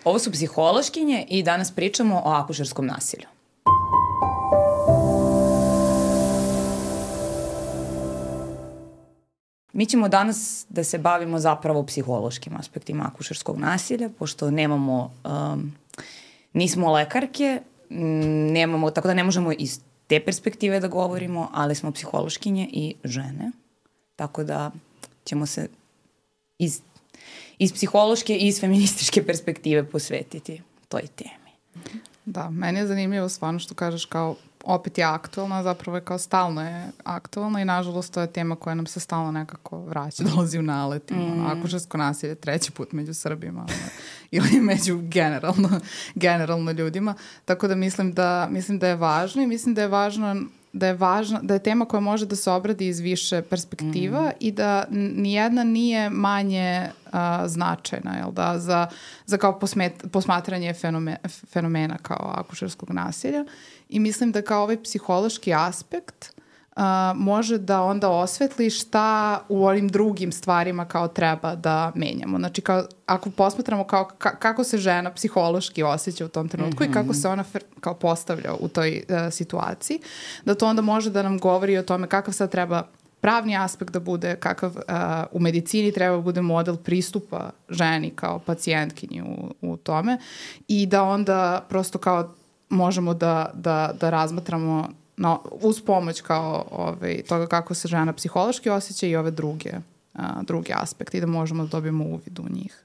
Ovo su psihološkinje i danas pričamo o akušerskom nasilju. Mi ćemo danas da se bavimo zapravo psihološkim aspektima akušerskog nasilja, pošto nemamo, nismo lekarke, tako da ne možemo iz te perspektive da govorimo, ali smo psihološkinje i žene. Tako da ćemo se iz psihološke i iz feminističke perspektive posvetiti toj temi. Da, meni je zanimljivo stvarno što kažeš kao opet je aktualna, zapravo je kao stalno je aktualna i nažalost to je tema koja nam se stalno nekako vraća, dolazi u nalet. Akušersko nasilje 3. put među Srbima ili među generalno ljudima. Tako da mislim da je važno i mislim da je važno da je tema koja može da se obradi iz više perspektiva i da nijedna nije manje značajna, jel da, za kao posmatranje fenomena kao akušerskog nasilja. I mislim da kao ovaj psihološki aspekt može da onda osvetli šta u ovim drugim stvarima kao treba da menjamo. Znači, kao, ako posmatramo kao kako se žena psihološki osjeća u tom trenutku i kako se ona kao postavlja u toj situaciji, da to onda može da nam govori o tome kakav sad treba pravni aspekt da bude, kakav u medicini treba da bude model pristupa ženi kao pacijentkinji u tome i da onda prosto kao možemo da razmatramo uz pomoć kao toga kako se žena psihološki osjeća i ove druge aspekte i da možemo da dobijemo uvid u njih.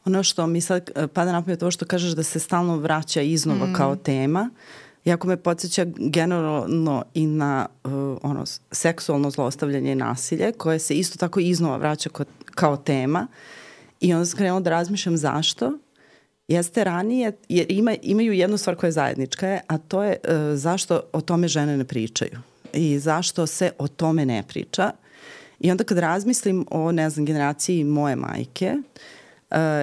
Ono što mi sad pada na pamet to što kažeš da se stalno vraća iznova kao tema, jako me podsjeća generalno i na seksualno zlostavljanje i nasilje koje se isto tako iznova vraća kao tema i onda sam krenula da razmišljam zašto. Jeste ranije, jer imaju jednu stvar koja je zajednička, a to je zašto o tome žene ne pričaju i zašto se o tome ne priča. I onda kad razmislim o, generaciji moje majke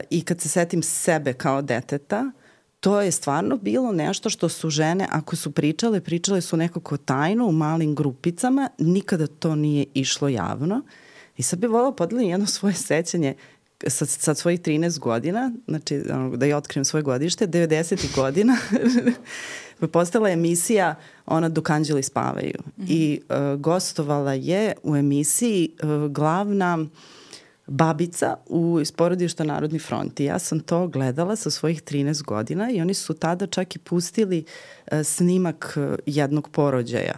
i kad se setim sebe kao deteta, to je stvarno bilo nešto što su žene, ako su pričale su nekako tajno u malim grupicama, nikada to nije išlo javno. I sad bih voljela podelim jedno svoje sećanje sad svojih 13 godina, znači da ja otkrijem svoje godište, 90. godina, postala je emisija Dok anđeli spavaju. I gostovala je u emisiji glavna babica iz porodišta Narodni front. I ja sam to gledala sa svojih 13 godina i oni su tada čak i pustili snimak jednog porođaja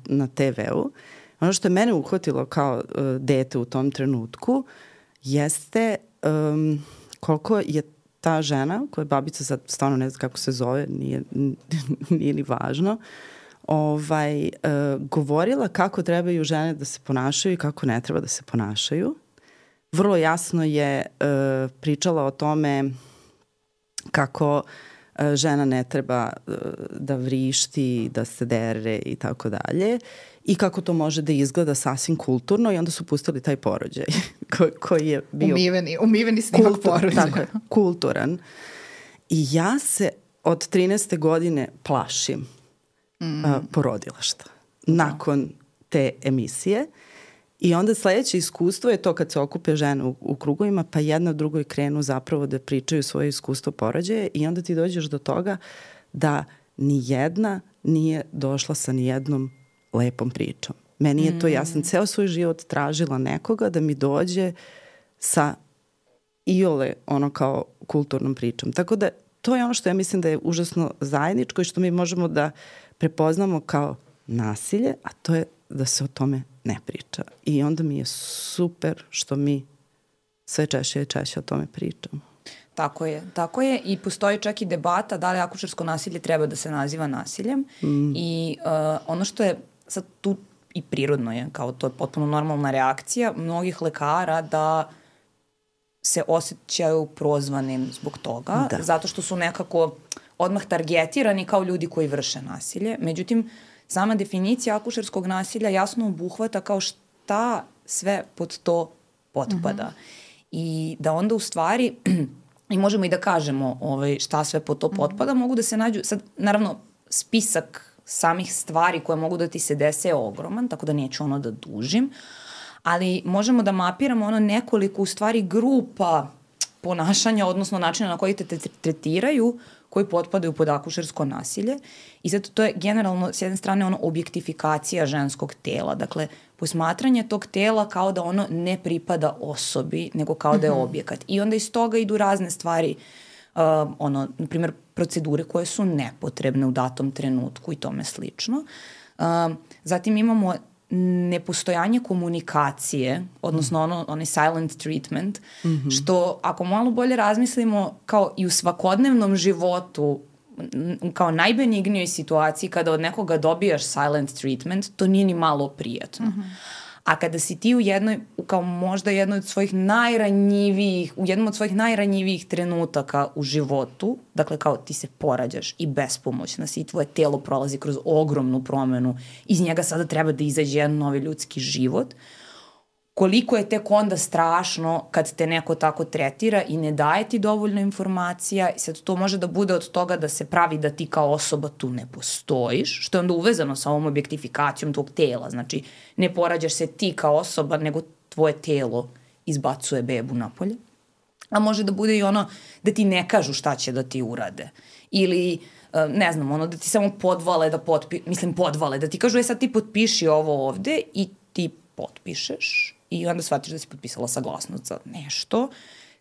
na TV-u. Ono što je mene uhvatilo kao dete u tom trenutku jeste koliko je ta žena, koja je babica, sad stvarno ne znam kako se zove, nije ni važno, govorila kako trebaju žene da se ponašaju i kako ne treba da se ponašaju. Vrlo jasno je pričala o tome kako žena ne treba da vrišti, da se dere i tako dalje. I kako to može da izgleda sasvim kulturno i onda su pustili taj porođaj koji je bio umiveni snimak porođaja. Tako je, kulturan. I ja se od 13. godine plašim porodilaštva nakon te emisije. I onda sledeće iskustvo je to kad se okupe žene u krugovima, pa jedna drugoj krenu zapravo da pričaju svoje iskustvo porođaja i onda ti dođeš do toga da nijedna nije došla sa nijednom lepom pričom. Meni je to, ja sam ceo svoj život tražila nekoga da mi dođe sa iole kao kulturnom pričom. Tako da to je ono što ja mislim da je užasno zajedničko i što mi možemo da prepoznamo kao nasilje, a to je da se o tome ne priča. I onda mi je super što mi sve češće i češće o tome pričamo. Tako je i postoji čak i debata da li akušersko nasilje treba da se naziva nasiljem i ono što je sad tu i prirodno je, kao to je potpuno normalna reakcija mnogih lekara da se osjećaju prozvanim zbog toga, zato što su nekako odmah targetirani kao ljudi koji vrše nasilje. Međutim, sama definicija akušerskog nasilja jasno obuhvata kao šta sve pod to potpada. I da onda u stvari, i možemo i da kažemo šta sve pod to potpada, mogu da se nađu, sad naravno spisak samih stvari koje mogu da ti se dese je ogroman, tako da neću da dužim, ali možemo da mapiramo nekoliko u stvari grupa ponašanja, odnosno načina na koji te tretiraju, koji potpadaju pod akušersko nasilje. I zato to je generalno, s jedne strane, ono objektifikacija ženskog tela. Dakle, posmatranje tog tela kao da ono ne pripada osobi, nego kao da je objekat. I onda iz toga idu razne stvari, na primjer, procedure koje su nepotrebne u datom trenutku i tome slično. Zatim imamo nepostojanje komunikacije, odnosno onaj silent treatment, što ako malo bolje razmislimo kao i u svakodnevnom životu, kao najbenignijoj situaciji kada od nekoga dobijaš silent treatment, to nije ni malo prijatno. A kada si ti u jednom od svojih najranjivijih trenutaka u životu, dakle kao ti se porađaš i bespomoćna si i tvoje telo prolazi kroz ogromnu promenu, iz njega sada treba da izađe jedan novi ljudski život, koliko je tek onda strašno kad te neko tako tretira i ne daje ti dovoljno informacija. I sad to može da bude od toga da se pravi da ti kao osoba tu ne postojiš, što je onda uvezano sa ovom objektifikacijom tvog tela. Znači, ne porađaš se ti kao osoba, nego tvoje telo izbacuje bebu napolje. A može da bude i ono da ti ne kažu šta će da ti urade. Ili, ne znam, ono da ti samo podvale da ti kažu sad ti potpiši ovo ovde i ti potpišeš i onda shvatiš da si potpisala saglasnost za nešto.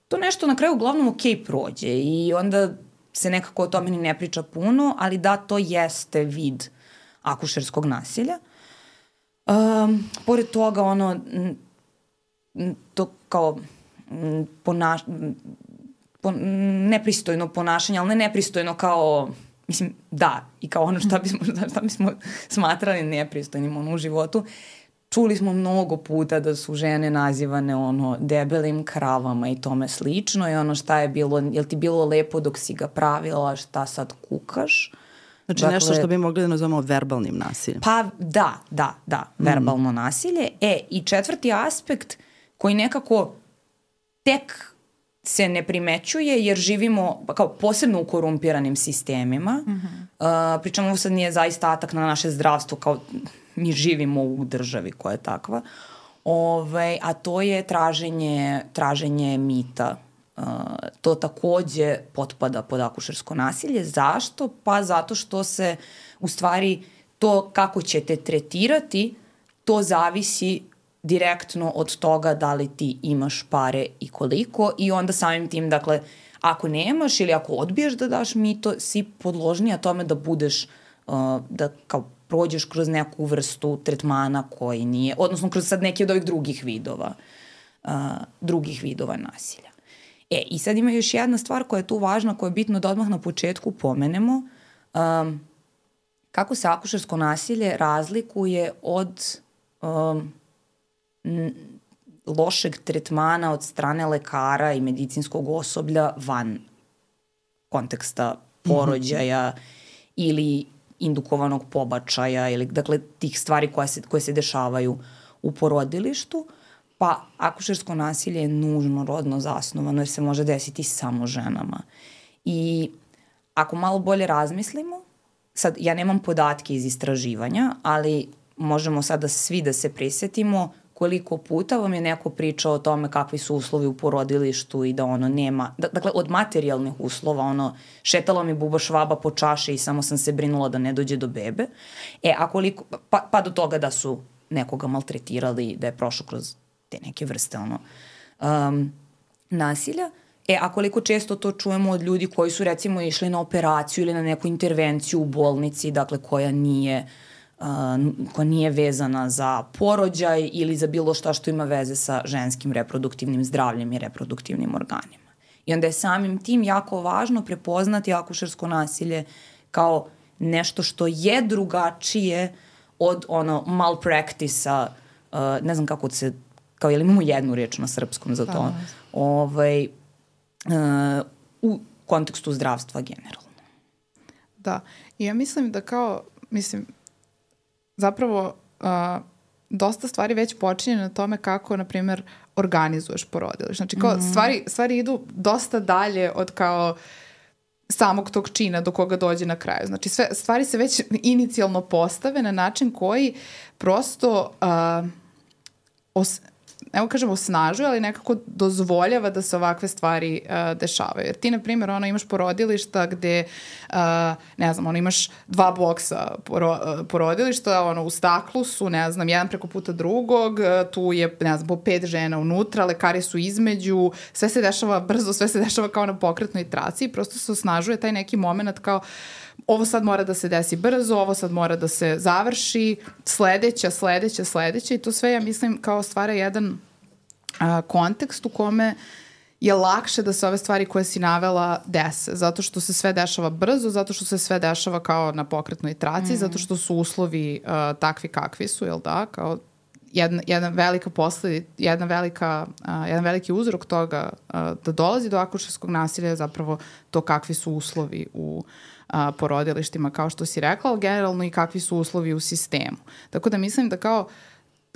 To nešto na kraju uglavnom prođe i onda se nekako o tome ni ne priča puno, ali da, to jeste vid akušerskog nasilja. Pored toga, to kao nepristojno ponašanje, ali ne nepristojno kao, mislim, da, i kao ono šta bismo smatrali nepristojnim u životu. Čuli smo mnogo puta da su žene nazivane debelim kravama i tome slično i šta je bilo, jel ti bilo lepo dok si ga pravila, šta sad kukaš? Znači nešto što bi mogli da nazovemo verbalnim nasiljem. Pa da, verbalno nasilje. I četvrti aspekt koji nekako tek se ne primećuje jer živimo kao posebno u korumpiranim sistemima. Pričamo, ovo sad nije zaista atak na naše zdravstvo, kao mi živimo u državi koja je takva, a to je traženje mita. To takođe potpada pod akušersko nasilje. Zašto? Pa zato što se u stvari to kako će te tretirati, to zavisi direktno od toga da li ti imaš pare i koliko i onda samim tim, dakle, ako nemaš ili ako odbiješ da daš mito, si podložnija tome da budeš, da kao prođeš kroz neku vrstu tretmana koji nije, odnosno kroz sad neki od ovih drugih vidova nasilja. I sad ima još jedna stvar koja je tu važna, koja je bitno da odmah na početku pomenemo. Kako se akušersko nasilje razlikuje od lošeg tretmana od strane lekara i medicinskog osoblja van konteksta porođaja ili indukovanog pobačaja ili dakle tih stvari koje se dešavaju u porodilištu, pa akušersko nasilje je nužno rodno zasnovano jer se može desiti samo ženama. I ako malo bolje razmislimo, sad ja nemam podatke iz istraživanja, ali možemo sada svi da se prisjetimo koliko puta vam je neko pričao o tome kakvi su uslovi u porodilištu i da nema, dakle od materijalnih uslova, šetala mi buba švaba po čaši i samo sam se brinula da ne dođe do bebe, a koliko, pa do toga da su nekoga maltretirali, da je prošao kroz te neke vrste nasilja, a koliko često to čujemo od ljudi koji su recimo išli na operaciju ili na neku intervenciju u bolnici, dakle koja nije vezana za porođaj ili za bilo šta što ima veze sa ženskim reproduktivnim zdravljem i reproduktivnim organima. I onda je samim tim jako važno prepoznati akušersko nasilje kao nešto što je drugačije od malpraktisa, ne znam kako se, kao jel imamo jednu reč na srpskom za to, u kontekstu zdravstva generalno. Da, i ja mislim da zapravo dosta stvari već počinje na tome kako, na primjer, organizuješ porodilište. Znači, kao stvari idu dosta dalje od kao samog tog čina do koga dođe na kraju. Znači, sve stvari se već inicijalno postave na način koji prosto evo kažemo osnažuje, ali nekako dozvoljava da se ovakve stvari dešavaju. Jer ti, na primjer, imaš porodilišta gde, ne znam, imaš 2 boksa porodilišta, u staklu su, ne znam, jedan preko puta drugog, tu je, ne znam, po 5 žena unutra, lekari su između, sve se dešava brzo, sve se dešava kao na pokretnoj traci i prosto se osnažuje taj neki moment kao ovo sad mora da se desi brzo, ovo sad mora da se završi, sledeća i to sve, ja mislim, kao stvara jedan kontekst u kome je lakše da se ove stvari koje si navela dese, zato što se sve dešava brzo, zato što se sve dešava kao na pokretnoj traci, zato što su uslovi takvi kakvi su, jel da, kao jedan veliki uzrok toga da dolazi do akušerskog nasilja je zapravo to kakvi su uslovi u porodilištima, kao što si rekla, ali generalno i kakvi su uslovi u sistemu. Tako da mislim da kao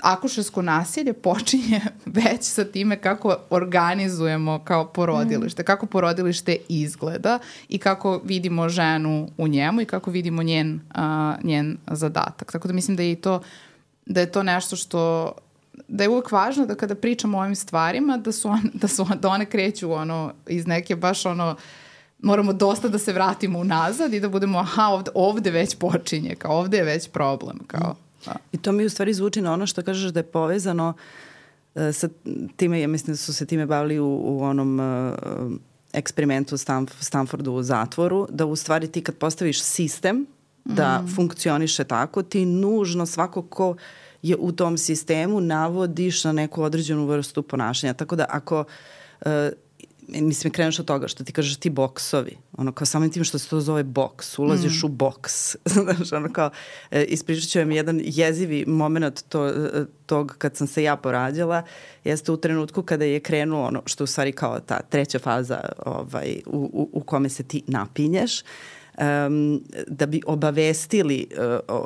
akušersko nasilje počinje već sa time kako organizujemo kao porodilište, kako porodilište izgleda i kako vidimo ženu u njemu i kako vidimo njen zadatak. Tako da mislim da je to nešto što da je uvek važno da kada pričamo o ovim stvarima da one kreću iz neke baš moramo dosta da se vratimo unazad i da budemo ovde već počinje, kao ovde je već problem, kao I to mi u stvari zvuči na ono što kažeš da je povezano sa time, ja mislim da su se time bavili u onom eksperimentu Stanfordu u zatvoru, da u stvari ti kad postaviš sistem da funkcioniše tako, ti nužno svako ko je u tom sistemu navodiš na neku određenu vrstu ponašanja. Tako da ako mislim, kreneš od toga što ti kažeš ti boksovi, kao samim tim što se to zove boks, ulaziš u boks. Znaš, kao, ispričat ću vam jedan jezivi moment tog kad sam se ja porađala, jeste u trenutku kada je krenulo što u stvari kao ta treća faza u kome se ti napinješ, da bi obavestili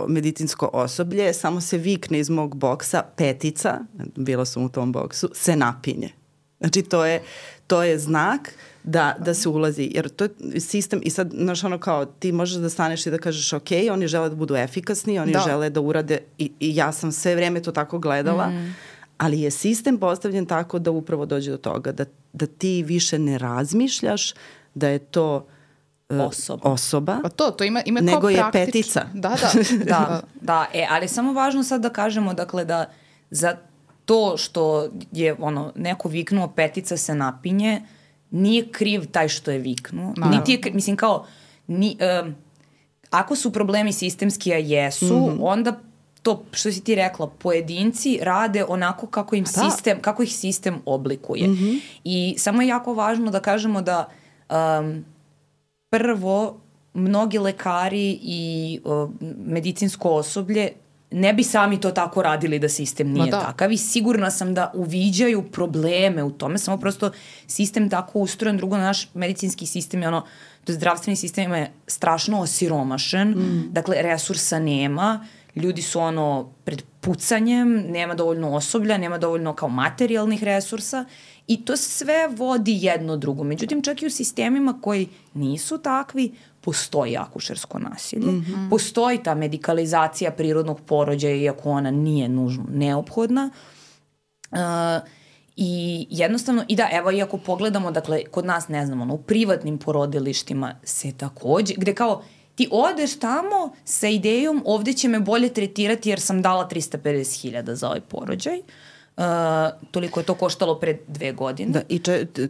medicinsko osoblje, samo se vikne iz mog boksa Petica, bila sam u tom boksu, se napinje. Znači, to je znak da se ulazi, jer to je sistem i sad, znaš, kao ti možeš da staneš i da kažeš ok, oni žele da budu efikasni, oni žele da urade i ja sam sve vreme to tako gledala, ali je sistem postavljen tako da upravo dođe do toga, da ti više ne razmišljaš da je to osoba pa to ima nego je Petica. Da, ali samo važno sad da kažemo, dakle, da za to što je neko viknuo Petica se napinje, nije kriv taj što je viknuo. Niti je, mislim kao, ako su problemi sistemski, a jesu, onda to što si ti rekla, pojedinci rade onako kako ih sistem oblikuje. I samo je jako važno da kažemo da prvo, mnogi lekari i medicinsko osoblje ne bi sami to tako radili da sistem nije takav i sigurna sam da uviđaju probleme u tome, samo prosto sistem tako ustrojen. Drugo, naš medicinski sistem je to je zdravstveni sistem je strašno osiromašen, dakle resursa nema, ljudi su pred pucanjem, nema dovoljno osoblja, nema dovoljno kao materijalnih resursa i to sve vodi jedno drugo. Međutim, čak i u sistemima koji nisu takvi, postoji akušersko nasilje, postoji ta medikalizacija prirodnog porođaja, iako ona nije nužno neophodna. I jednostavno, i da, evo, iako pogledamo, dakle, kod nas, ne znam, u privatnim porodilištima se takođe, gde kao ti odeš tamo sa idejom ovde će me bolje tretirati jer sam dala 350.000 za ovaj porođaj. Toliko je to koštalo pre 2 godine. Da, i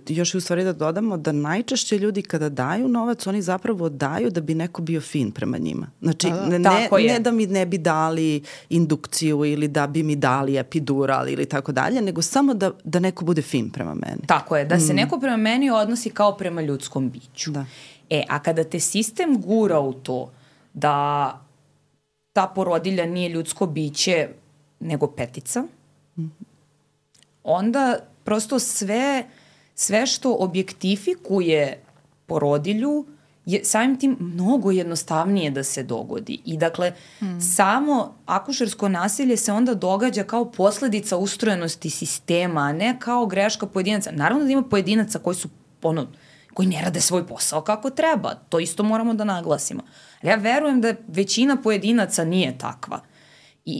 još u stvari da dodamo da najčešće ljudi kada daju novac, oni zapravo daju da bi neko bio fin prema njima. Znači, ne da mi ne bi dali indukciju ili da bi mi dali epidural ili tako dalje, nego samo da neko bude fin prema meni. Tako je, da se neko prema meni odnosi kao prema ljudskom biću. Da. A kada te sistem gura u to da ta porodilja nije ljudsko biće nego Petica, onda prosto sve što objektifikuje porodilju je samim tim mnogo jednostavnije da se dogodi. I dakle, samo akušersko nasilje se onda događa kao posledica ustrojenosti sistema, a ne kao greška pojedinaca. Naravno da ima pojedinaca koji su koji ne rade svoj posao kako treba. To isto moramo da naglasimo. Ali ja verujem da većina pojedinaca nije takva.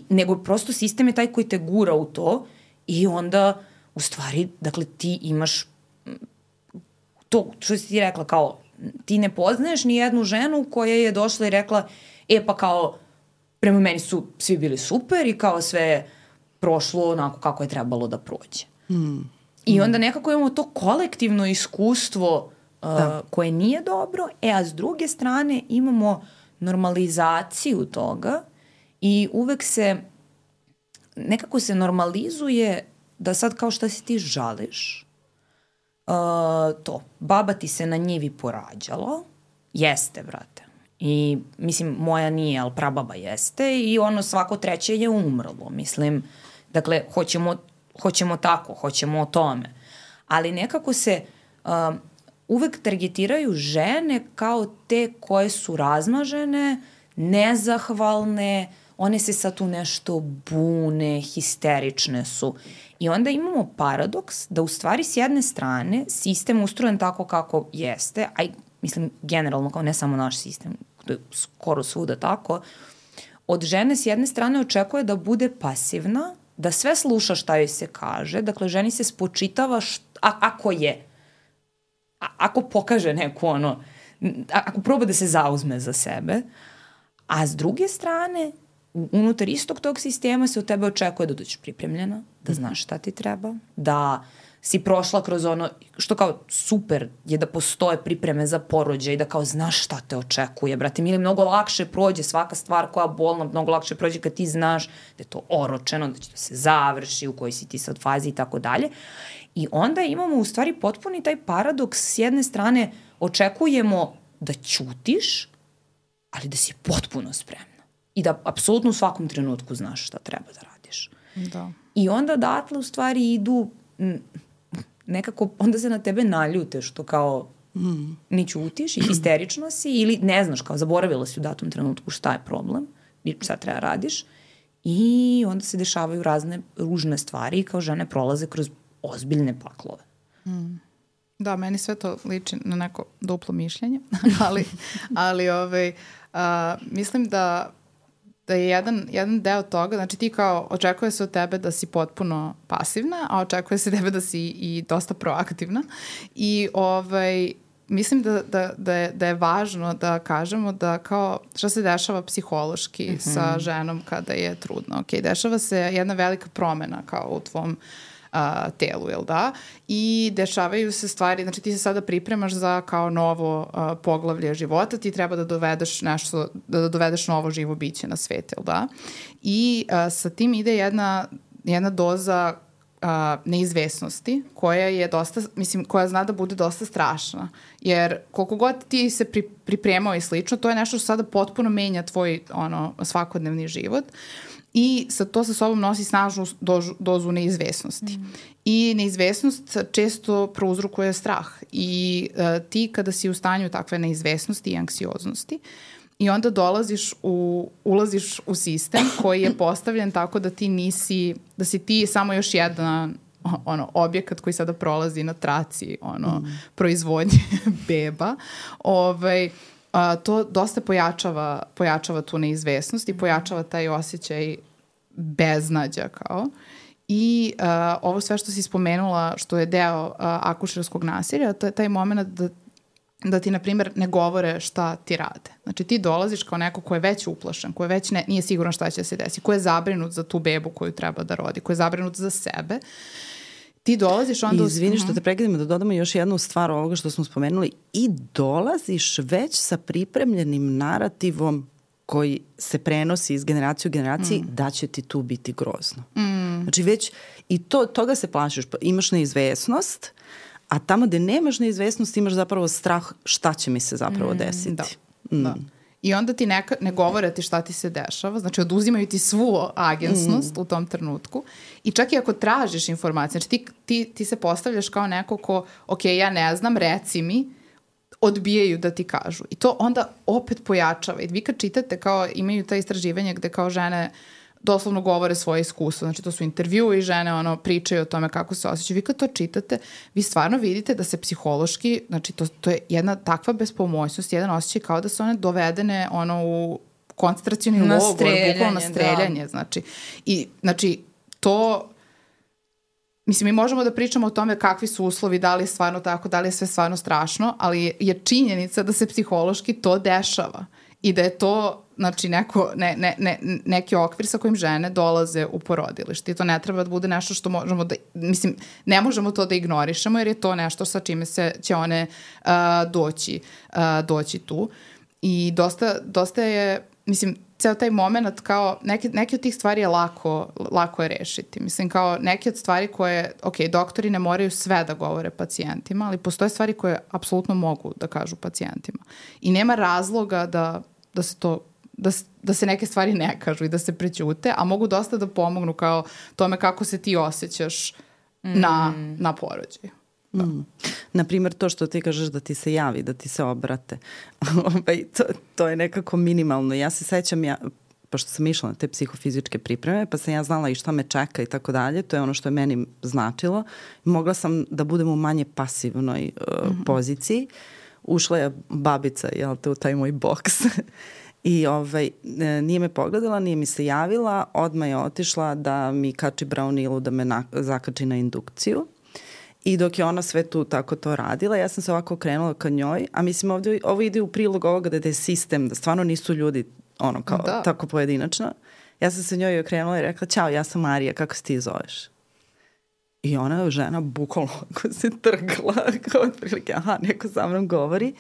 Nego prosto sistem je taj koji te gura u to i onda u stvari, dakle, ti imaš to što si ti rekla, kao, ti ne poznaješ ni jednu ženu koja je došla i rekla, pa kao, prema meni su svi bili super i kao sve je prošlo onako kako je trebalo da prođe. I onda nekako imamo to kolektivno iskustvo koje nije dobro, a s druge strane imamo normalizaciju toga i uvek nekako se normalizuje da sad kao šta si ti žališ, to, baba ti se na njivi porađala, jeste, brate. I, mislim, moja nije, ali prababa jeste i ono svako treće je umrlo, mislim. Dakle, hoćemo tako, hoćemo o tome. Ali nekako se uvek targetiraju žene kao te koje su razmažene, nezahvalne, one se sad tu nešto bune, histerične su. I onda imamo paradoks da u stvari s jedne strane sistem ustrojen tako kako jeste, a mislim generalno kao ne samo naš sistem, to je skoro svuda tako, od žene s jedne strane očekuje da bude pasivna, da sve sluša šta joj se kaže, dakle ženi se spočitava ako pokaže neku ako proba da se zauzme za sebe, a s druge strane unutar istog tog sistema se od tebe očekuje da dođeš pripremljena, da znaš šta ti treba, da si prošla kroz ono, što kao super je da postoje pripreme za porođaj i da kao znaš šta te očekuje, brate, ili mnogo lakše prođe svaka stvar koja je bolna, mnogo lakše prođe kad ti znaš da je to oročeno, da će to se završi, u kojoj si ti sad fazi i tako dalje. I onda imamo u stvari potpuni taj paradoks, s jedne strane očekujemo da ćutiš, ali da si potpuno spremna. I da apsolutno u svakom trenutku znaš šta treba da radiš. Da. I onda odatle u stvari idu nekako, onda se na tebe naljute što kao ni ćutiš i histerična si ili ne znaš, kao zaboravila si u datom trenutku šta je problem i šta treba radiš i onda se dešavaju razne ružne stvari i kao žene prolaze kroz ozbiljne paklove. Da, meni sve to liči na neko duplo mišljenje, ali mislim da je jedan deo toga, znači ti kao očekuje se od tebe da si potpuno pasivna, a očekuje se od tebe da si i dosta proaktivna i mislim da je važno da kažemo da kao šta se dešava psihološki sa ženom kada je trudna. Ok, dešava se jedna velika promena kao u tvom telu, jel da? I dešavaju se stvari, znači ti se sada pripremaš za kao novo poglavlje života, ti treba da dovedeš nešto, da dovedeš novo živo biće na svet, jel da? I sa tim ide jedna doza neizvesnosti koja je dosta, mislim, koja zna da bude dosta strašna. Jer koliko god ti se pripremao i slično, to je nešto što sada potpuno menja tvoj svakodnevni život. I to sa sobom nosi snažnu dozu neizvesnosti. I neizvesnost često prouzrokuje strah. I ti kada si u stanju takve neizvesnosti i anksioznosti i onda ulaziš u sistem koji je postavljen tako da da si ti samo još jedan objekat koji sada prolazi na traci proizvodnje beba. To dosta pojačava tu neizvesnost i pojačava taj osjećaj beznađa kao. I ovo sve što si spomenula, što je deo akušerskog nasilja, to je taj moment da ti, na primjer, ne govore šta ti rade. Znači ti dolaziš kao neko ko je već uplašen, ko je već nije siguran šta će se desiti, ko je zabrinut za tu bebu koju treba da rodi, ko je zabrinut za sebe. Ti dolaziš onda... Izvini što te pregledamo, da dodamo još jednu stvar ovoga što smo spomenuli. I dolaziš već sa pripremljenim narativom koji se prenosi iz generacije u generaciji da će ti tu biti grozno. Znači već i toga se plašiš. Imaš neizvesnost, a tamo gde nemaš neizvesnost imaš zapravo strah šta će mi se zapravo desiti. Da. I onda ti ne govore ti šta ti se dešava, znači oduzimaju ti svu agensnost u tom trenutku i čak i ako tražiš informacije, znači ti se postavljaš kao neko ko, ok, ja ne znam, reci mi, odbijaju da ti kažu. I to onda opet pojačava. I vi kad čitate, kao imaju ta istraživanja gde kao žene doslovno govore svoje iskustvo, znači to su intervju i žene pričaju o tome kako se osjećaju. Vi kad to čitate, vi stvarno vidite da se psihološki, znači to je jedna takva bespomoćnost, jedan osjećaj kao da su one dovedene u koncentracioni logor, bukvalno na streljanje. Da. Znači to Mislim, mi možemo da pričamo o tome kakvi su uslovi, da li je stvarno tako, da li je sve stvarno strašno, ali je činjenica da se psihološki to dešava i da je to, znači, neki okvir sa kojim žene dolaze u porodilište. I to ne treba da bude nešto što možemo da, mislim, ne možemo to da ignorišemo jer je to nešto sa čime će one doći tu. I dosta je, mislim, ceo taj moment kao, neke od tih stvari je lako je rešiti. Mislim, kao neke od stvari koje, ok, doktori ne moraju sve da govore pacijentima, ali postoje stvari koje apsolutno mogu da kažu pacijentima. I nema razloga da se neke stvari ne kažu i da se prećute, a mogu dosta da pomognu kao tome kako se ti osjećaš na porođaju. Naprimjer, to što ti kažeš da ti se javi, da ti se obrate. To je nekako minimalno. Ja se sećam, pošto sam išla na te psihofizičke pripreme, pa sam ja znala i šta me čeka i tako dalje, to je ono što je meni značilo. Mogla sam da budem u manje pasivnoj poziciji. Ušla je babica, u taj moj boks. I nije me pogledala, nije mi se javila, odmah je otišla da mi kači braunilu, da me zakači na indukciju. I dok je ona sve tu tako to radila, ja sam se ovako okrenula ka njoj, a mislim ovo ide u prilog ovoga da je sistem, da stvarno nisu ljudi tako pojedinačno. Ja sam se njoj okrenula i rekla, ćao, ja sam Marija, kako se ti zoveš? I ona, žena, bukvalno se trgla, kao otprilike, neko sa mnom govori.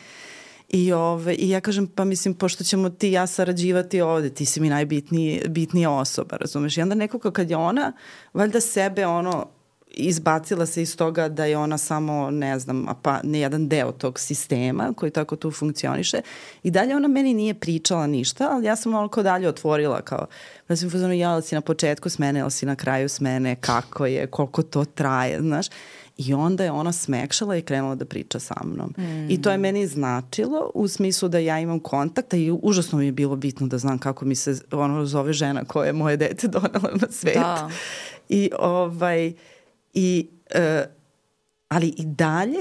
I ja kažem, pa mislim, pošto ćemo ti i ja sarađivati ovde, ti si mi najbitnija osoba, razumeš? I onda nekako kad je ona, valjda sebe izbacila se iz toga da je ona samo, ne znam, ne jedan deo tog sistema koji tako tu funkcioniše. I dalje ona meni nije pričala ništa, ali ja sam malo dalje otvorila kao, da sam fuzonu, jel si na početku smene, jel si na kraju smene, kako je, koliko to traje, znaš. I onda je ona smekšala i krenula da priča sa mnom. I to je meni značilo u smislu da ja imam kontakta i užasno mi je bilo bitno da znam kako mi se zove žena koja je moje dete donela na svet. Da. Ali i dalje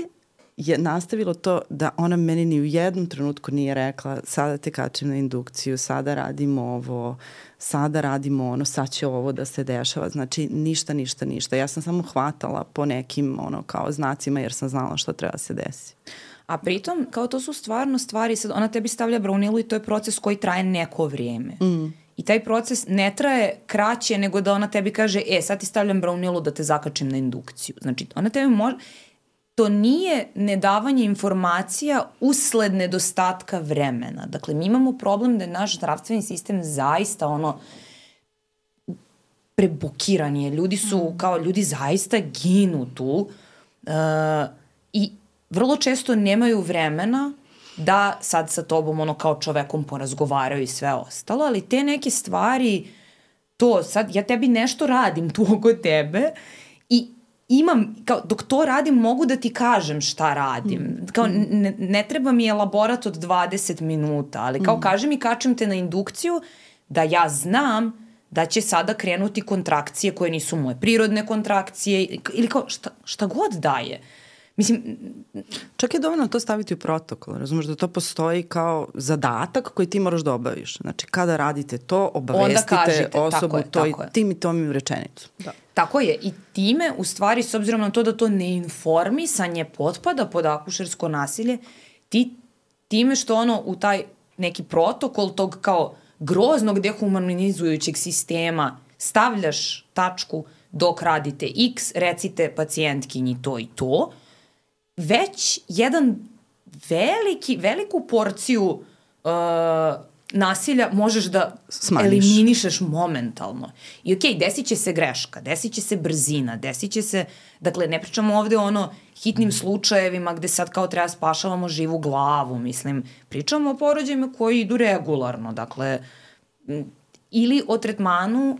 je nastavilo to da ona meni ni u jednom trenutku nije rekla sada te kačim na indukciju, sada radimo ovo, sada radimo ono, sad će ovo da se dešava. Znači ništa. Ja sam samo hvatala po nekim kao znacima jer sam znala što treba se desi. A pritom, kao to su stvarno stvari, sad ona tebi stavlja braunilu i to je proces koji traje neko vrijeme. I taj proces ne traje kraće nego da ona tebi kaže, sad ti stavljam braunilu da te zakačim na indukciju. Znači, ona tebi može... To nije nedavanje informacija usled nedostatka vremena. Dakle, mi imamo problem da je naš zdravstveni sistem zaista prebukiran je. Ljudi zaista ginu tu i vrlo često nemaju vremena da sad sa tobom kao čovekom porazgovaraju i sve ostalo, ali te neke stvari, to sad ja tebi nešto radim tu oko tebe i imam, kao dok to radim mogu da ti kažem šta radim. Kao ne treba mi elaborat od 20 minuta, ali kao kaži mi kačem te na indukciju da ja znam da će sada krenuti kontrakcije koje nisu moje prirodne kontrakcije ili kao šta god daje. Mislim, čak je dovoljno to staviti u protokol, razumeš da to postoji kao zadatak koji ti moraš da obaviš. Znači, kada radite to, obavestite osobu tim i tom im rečenicu. Da. Tako je. I time, u stvari, s obzirom na to da to neinformisanje potpada pod akušersko nasilje, ti time što u taj neki protokol tog kao groznog dehumanizujućeg sistema stavljaš tačku dok radite X, recite pacijentkinji to i to, već jedan veliku porciju nasilja možeš da eliminišeš momentalno. I okej, desit će se greška, desit će se brzina, desit će se, dakle, ne pričamo ovde hitnim slučajevima gde sad kao treba spašavamo živu glavu, mislim, pričamo o porođajima koji idu regularno, dakle, ili o tretmanu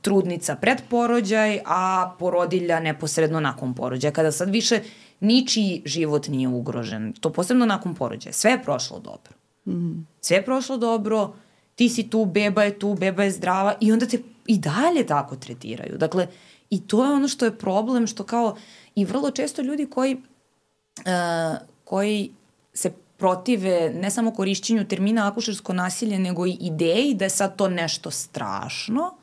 trudnica pred porođaj, a porodilja neposredno nakon porođaja, kada sad više ničiji život nije ugrožen, to posebno nakon porođaja, sve je prošlo dobro. Sve je prošlo dobro, ti si tu, beba je zdrava i onda te i dalje tako tretiraju. Dakle, i to je ono što je problem, što kao i vrlo često ljudi koji se protive ne samo korišćenju termina akušersko nasilje, nego i ideji da je sad to nešto strašno,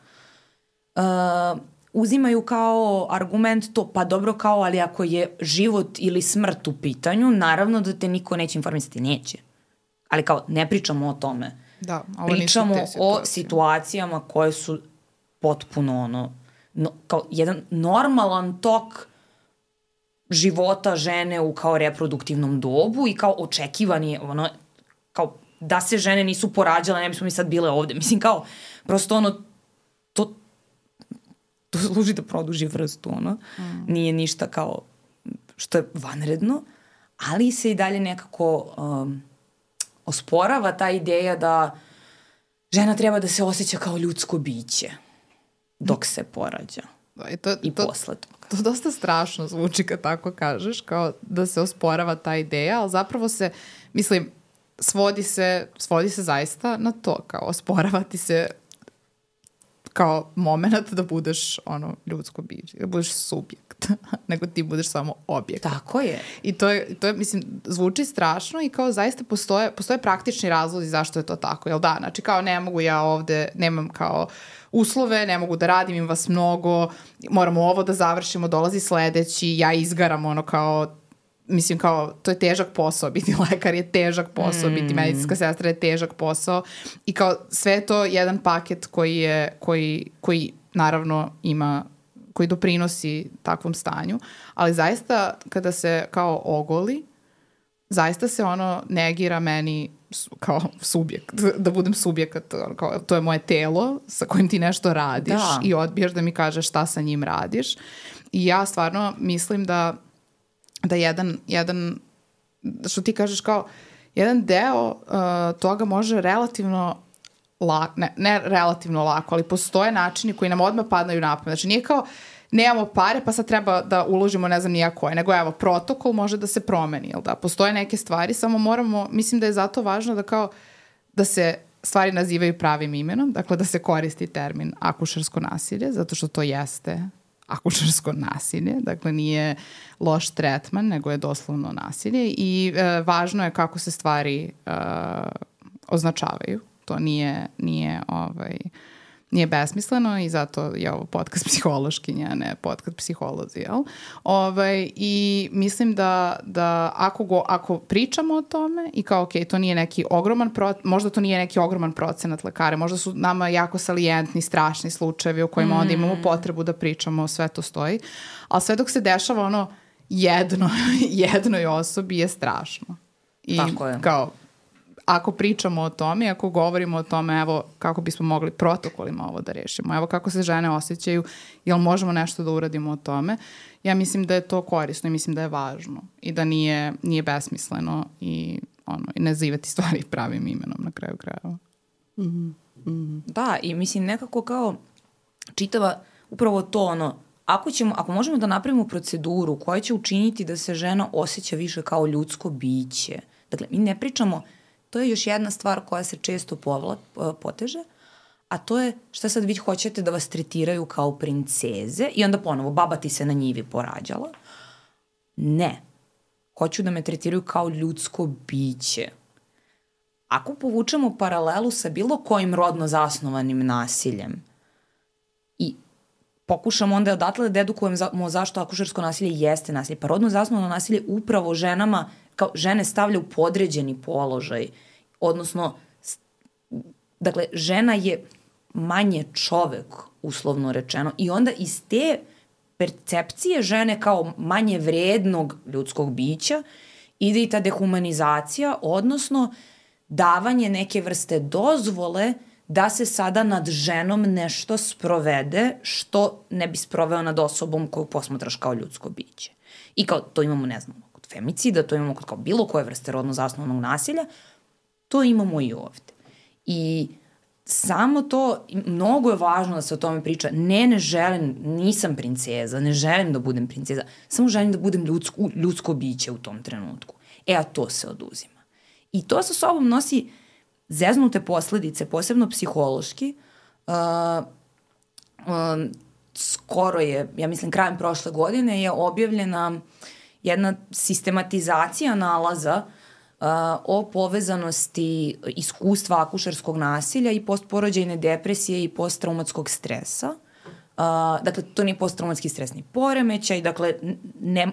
uzimaju kao argument to, pa dobro kao, ali ako je život ili smrt u pitanju, naravno da te niko neće informisati, neće. Ali kao, ne pričamo o tome. Da, pričamo o situacijama koje su potpuno kao jedan normalan tok života žene u kao reproduktivnom dobu i kao očekivani, kao da se žene nisu porađale, ne bismo mi sad bile ovde. Mislim kao, prosto to služi da produži vrstu, Nije ništa kao što je vanredno, ali se i dalje nekako osporava ta ideja da žena treba da se osjeća kao ljudsko biće dok se porađa. I posle toga. To dosta strašno zvuči kad tako kažeš, kao da se osporava ta ideja, ali zapravo se, mislim, svodi se zaista na to, kao osporavati se kao moment da budeš ljudsko biće, da budeš subjekt, nego ti budeš samo objekt. Tako je. I to je, mislim, zvuči strašno i kao zaista postoje praktični razlozi zašto je to tako, jel da? Znači kao ne mogu ja ovde, nemam kao uslove, ne mogu da radim, im vas mnogo, moramo ovo da završimo, dolazi sledeći, ja izgaram kao, mislim kao, to je težak posao, biti lekar je težak posao, biti medicinska sestra je težak posao i kao sve je to jedan paket koji naravno ima, koji doprinosi takvom stanju, ali zaista kada se kao ogoli, zaista se negira meni kao subjekt, da budem subjekat, kao, to je moje telo sa kojim ti nešto radiš i odbijaš da mi kažeš šta sa njim radiš i ja stvarno mislim da jedan što ti kažeš kao jedan deo toga može relativno lako, ne relativno lako, ali postoje načini koji nam odmah padaju na pamet. Znači nije kao nemamo pare pa sad treba da uložimo ne znam nija koje, nego evo protokol može da se promeni, jel da? Postoje neke stvari, samo moramo, mislim da je zato važno da kao da se stvari nazivaju pravim imenom, dakle da se koristi termin akušersko nasilje, zato što to jeste akušersko nasilje, dakle nije loš tretman, nego je doslovno nasilje i važno je kako se stvari označavaju. To nije besmisleno i zato je ovo podcast psihološkinja, a ne podcast psiholozi, jel? I mislim da ako pričamo o tome i kao, ok, to nije neki ogroman možda to nije neki ogroman procenat lekara, možda su nama jako salijentni, strašni slučajevi u kojima onda imamo potrebu da pričamo, sve to stoji, ali sve dok se dešava jednoj osobi je strašno. I tako je. Kao, ako pričamo o tome, ako govorimo o tome, evo kako bismo mogli protokolima ovo da rešimo, evo kako se žene osjećaju, jel možemo nešto da uradimo o tome, ja mislim da je to korisno i mislim da je važno i da nije besmisleno i nazivati stvari pravim imenom na kraju krajeva. Da, i mislim nekako kao čitava upravo to ako možemo da napravimo proceduru koja će učiniti da se žena osjeća više kao ljudsko biće. Dakle, mi ne pričamo. To je još jedna stvar koja se često poteže, a to je šta sad vi hoćete da vas tretiraju kao princeze i onda ponovo, baba ti se na njivi porađala. Ne. Hoću da me tretiraju kao ljudsko biće. Ako povučemo paralelu sa bilo kojim rodno zasnovanim nasiljem i pokušamo onda odatle da edukujemo zašto akušersko nasilje jeste nasilje, pa rodno zasnovano nasilje upravo ženama kao žene stavlja u podređeni položaj, odnosno, dakle, žena je manje čovek, uslovno rečeno, i onda iz te percepcije žene kao manje vrednog ljudskog bića ide i ta dehumanizacija, odnosno davanje neke vrste dozvole da se sada nad ženom nešto sprovede što ne bi sproveo nad osobom koju posmatraš kao ljudsko biće. I kao to imamo, ne znam, kod femicida, to imamo kod kao bilo koje vrste rodno zasnovanog nasilja, to imamo i ovde. I samo to, mnogo je važno da se o tome priča. Ne želim, nisam princeza, ne želim da budem princeza, samo želim da budem ljudsko biće u tom trenutku. A to se oduzima. I to sa sobom nosi zeznute posledice, posebno psihološki. Skoro je, ja mislim krajem prošle godine, je objavljena jedna sistematizacija nalaza o povezanosti iskustva akušerskog nasilja i postporođajne depresije i posttraumatskog stresa Dakle, to nije posttraumatski stresni poremećaj, dakle,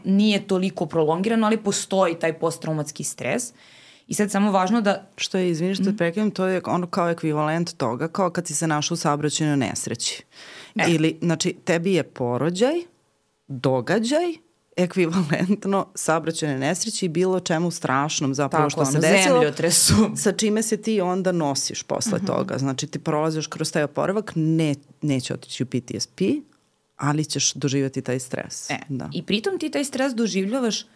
nije toliko prolongirano, ali postoji taj posttraumatski stres. I sad samo važno da... Što je, izvini što te prekidam, to je ono kao ekvivalent toga, kao kad si se našao u saobraćajnoj nesreći. Ili, znači, tebi je porođaj, događaj, ekvivalentno saobraćajnoj nesreći i bilo čemu strašnom zapravo što se desilo. Zemljotresu. Sa čime se ti onda nosiš posle toga. Znači, ti prolaziš kroz taj oporavak, neće otići u PTSP, ali ćeš doživjeti taj stres. Da. I pritom ti taj stres doživljavaš